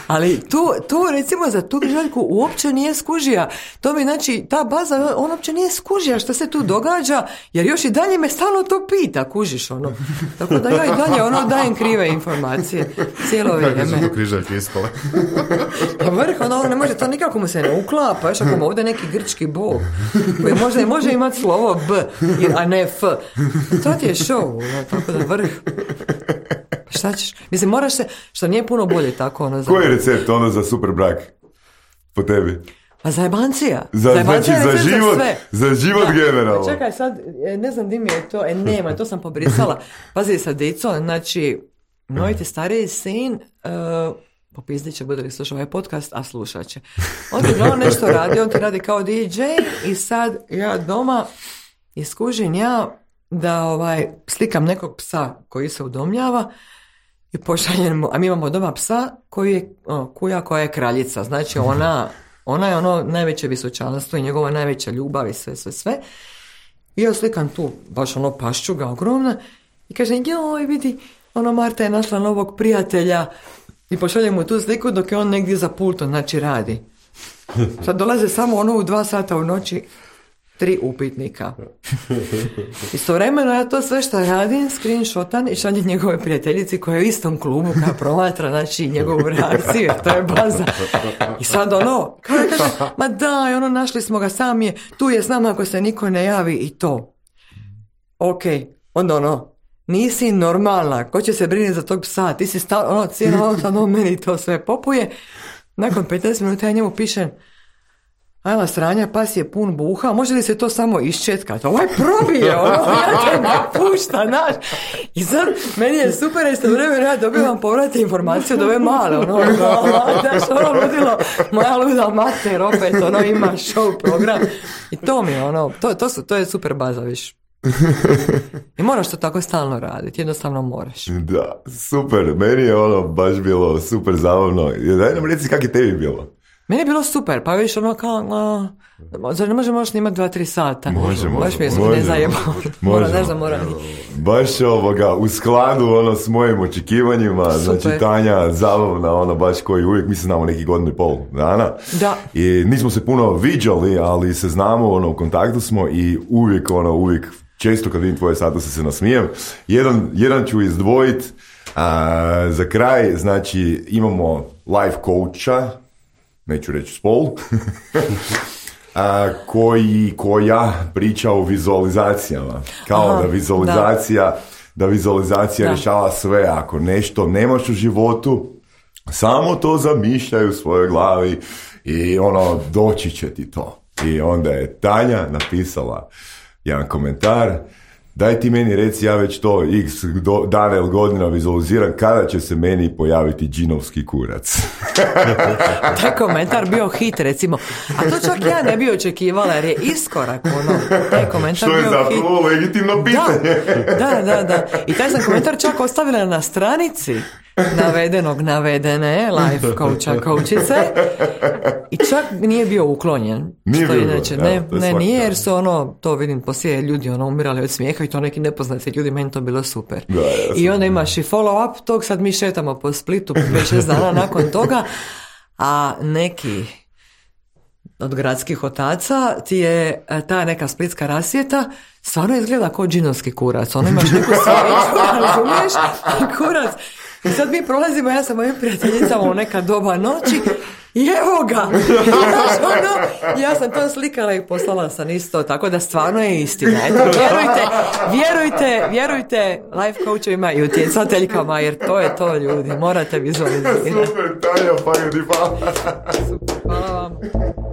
Ali tu, tu recimo za tu križaljku uopće nije skužija. To mi znači, ta baza, on uopće nije skužija što se tu događa, jer još i dalje me stalno to pita, kužiš ono. Tako da ja i dalje ono dajem krive informacije. Cijelo vrijeme. Kako su to križaljke ispale? Pa vrh, ono ne može, to nikako mu se ne uklapa, još ako mu ovdje neki grčki bog, koji možda može imati slovo B, a ne F. To ti je show, ono, tako da vrh. Šta ćeš? Mislim, moraš se, što nije puno bolje tako ono. Za... Koji je recept ono za super brak po tebi? Pa zajebancija. Za, zajebancija znači za život, za, za život generalno. Čekaj, sad, ne znam di mi je to, e, nema, to sam pobrisala. Pazi sa dicom, znači, moj ti stariji sin, uh, popizdit će, bude li slušao ovaj podcast, a slušat će. On ti ono nešto radi, on ti radi kao D J i sad ja doma iskužim ja da ovaj, slikam nekog psa koji se udomljava i pošaljem mu, a mi imamo doma psa koji je o, kuja koja je kraljica, znači ona, ona je ono najveće visočanstvo i njegova najveća ljubav i sve, sve, sve. I ja slikam tu, baš ono paščuga ogromna i kažem, joj vidi, ono Marta je našla novog prijatelja i pošaljem mu tu sliku dok je on negdje za pultom, znači radi. Sad dolaze samo ono u dva sata u noći, tri upitnika. Istovremeno ja to sve što radim, screenshotan i šaljem njegove prijateljici koja je u istom klubu koja promatra, znači njegovu reakciju, to je baza. I sad ono, kao je kaže, ma daj, ono našli smo ga, sam je, tu je s nama ako se niko ne javi i to. Ok, onda ono, nisi normalna, ko će se brinuti za tog psa, ti si stavno, ono, cijelo ono, sad on meni to sve popuje. Nakon petnaest minuta ja njemu pišem, ajla sranja, pas je pun buha, može li se to samo iščetkati? Ovaj probije, ono, ja te napušta, naš. I sad, meni je super, isto vremena, ja dobivam povratne informacije od ove male, ono, daš, ono, ludilo, moja luda mater, opet, ono, ima show program. I to mi je, ono, to, to, su, to je super baza, viš. I moraš to tako stalno raditi, jednostavno moraš. Da, super, meni je ono baš bilo super zabavno. Daj nam reci kako je tebi bilo. Meni je bilo super, pa viš ono kao, a, zar ne možemo još snimati dva, tri sata? Možemo. Baš mi je možemo, ne zajebao. Mora, ne znam, mora. Baš ovoga, u skladu ono s mojim očekivanjima, super. Znači Tanja zabavna, ono baš koji uvijek, mi se znamo neki godinu i pol dana. Da. I nismo se puno viđali, ali se znamo, ono, u kontaktu smo i uvijek, ono, uvijek, često kad vidim tvoje statuse se nasmijem. Jedan, jedan ću izdvojit, A, za kraj, znači, imamo life coacha, neću reći spol, a, koji, koja priča o vizualizacijama. Kao Aha, da vizualizacija, da. da vizualizacija da. rješava sve. Ako nešto nemaš u životu, samo to zamišljaj u svojoj glavi i ono, doći će ti to. I onda je Tanja napisala jedan komentar: daj ti meni reci, ja već to x do, dana ili godina vizualiziram, kada će se meni pojaviti džinovski kurac. Taj komentar bio hit, recimo. A to čak ja ne bi očekivala, jer je iskorak ono. Taj komentar što je bio zapravo hit. legitimno pitanje. Da, da, da. I taj sam komentar čak ostavila na stranici navedenog, navedene life coacha, coachice, i čak nije bio uklonjen. Nije što bio, inače, ne, ne nije, jer su ono, to vidim poslije, ljudi ono umirali od smijeha i to neki nepoznati ljudi, meni to bilo super. Da, ja I onda imaš i follow up tog, sad mi šetamo po Splitu pet šest dana nakon toga, a neki od gradskih otaca ti je ta neka splitska rasvjeta stvarno izgleda kao džinovski kurac. Ono imaš neku svijeću, razumiješ, kurac. I sad mi prolazimo, ja sam mojim prijateljicama u neka doba noći i evo ga! ono, ja sam to slikala i poslala sam isto, tako da stvarno je istina. Eto, vjerujte, vjerujte, vjerujte life coachovima i utjecateljkama, jer to je to, ljudi. Morate vizualizirati. Super, Tanja, pa ljudi, hvala. Super, hvala vam.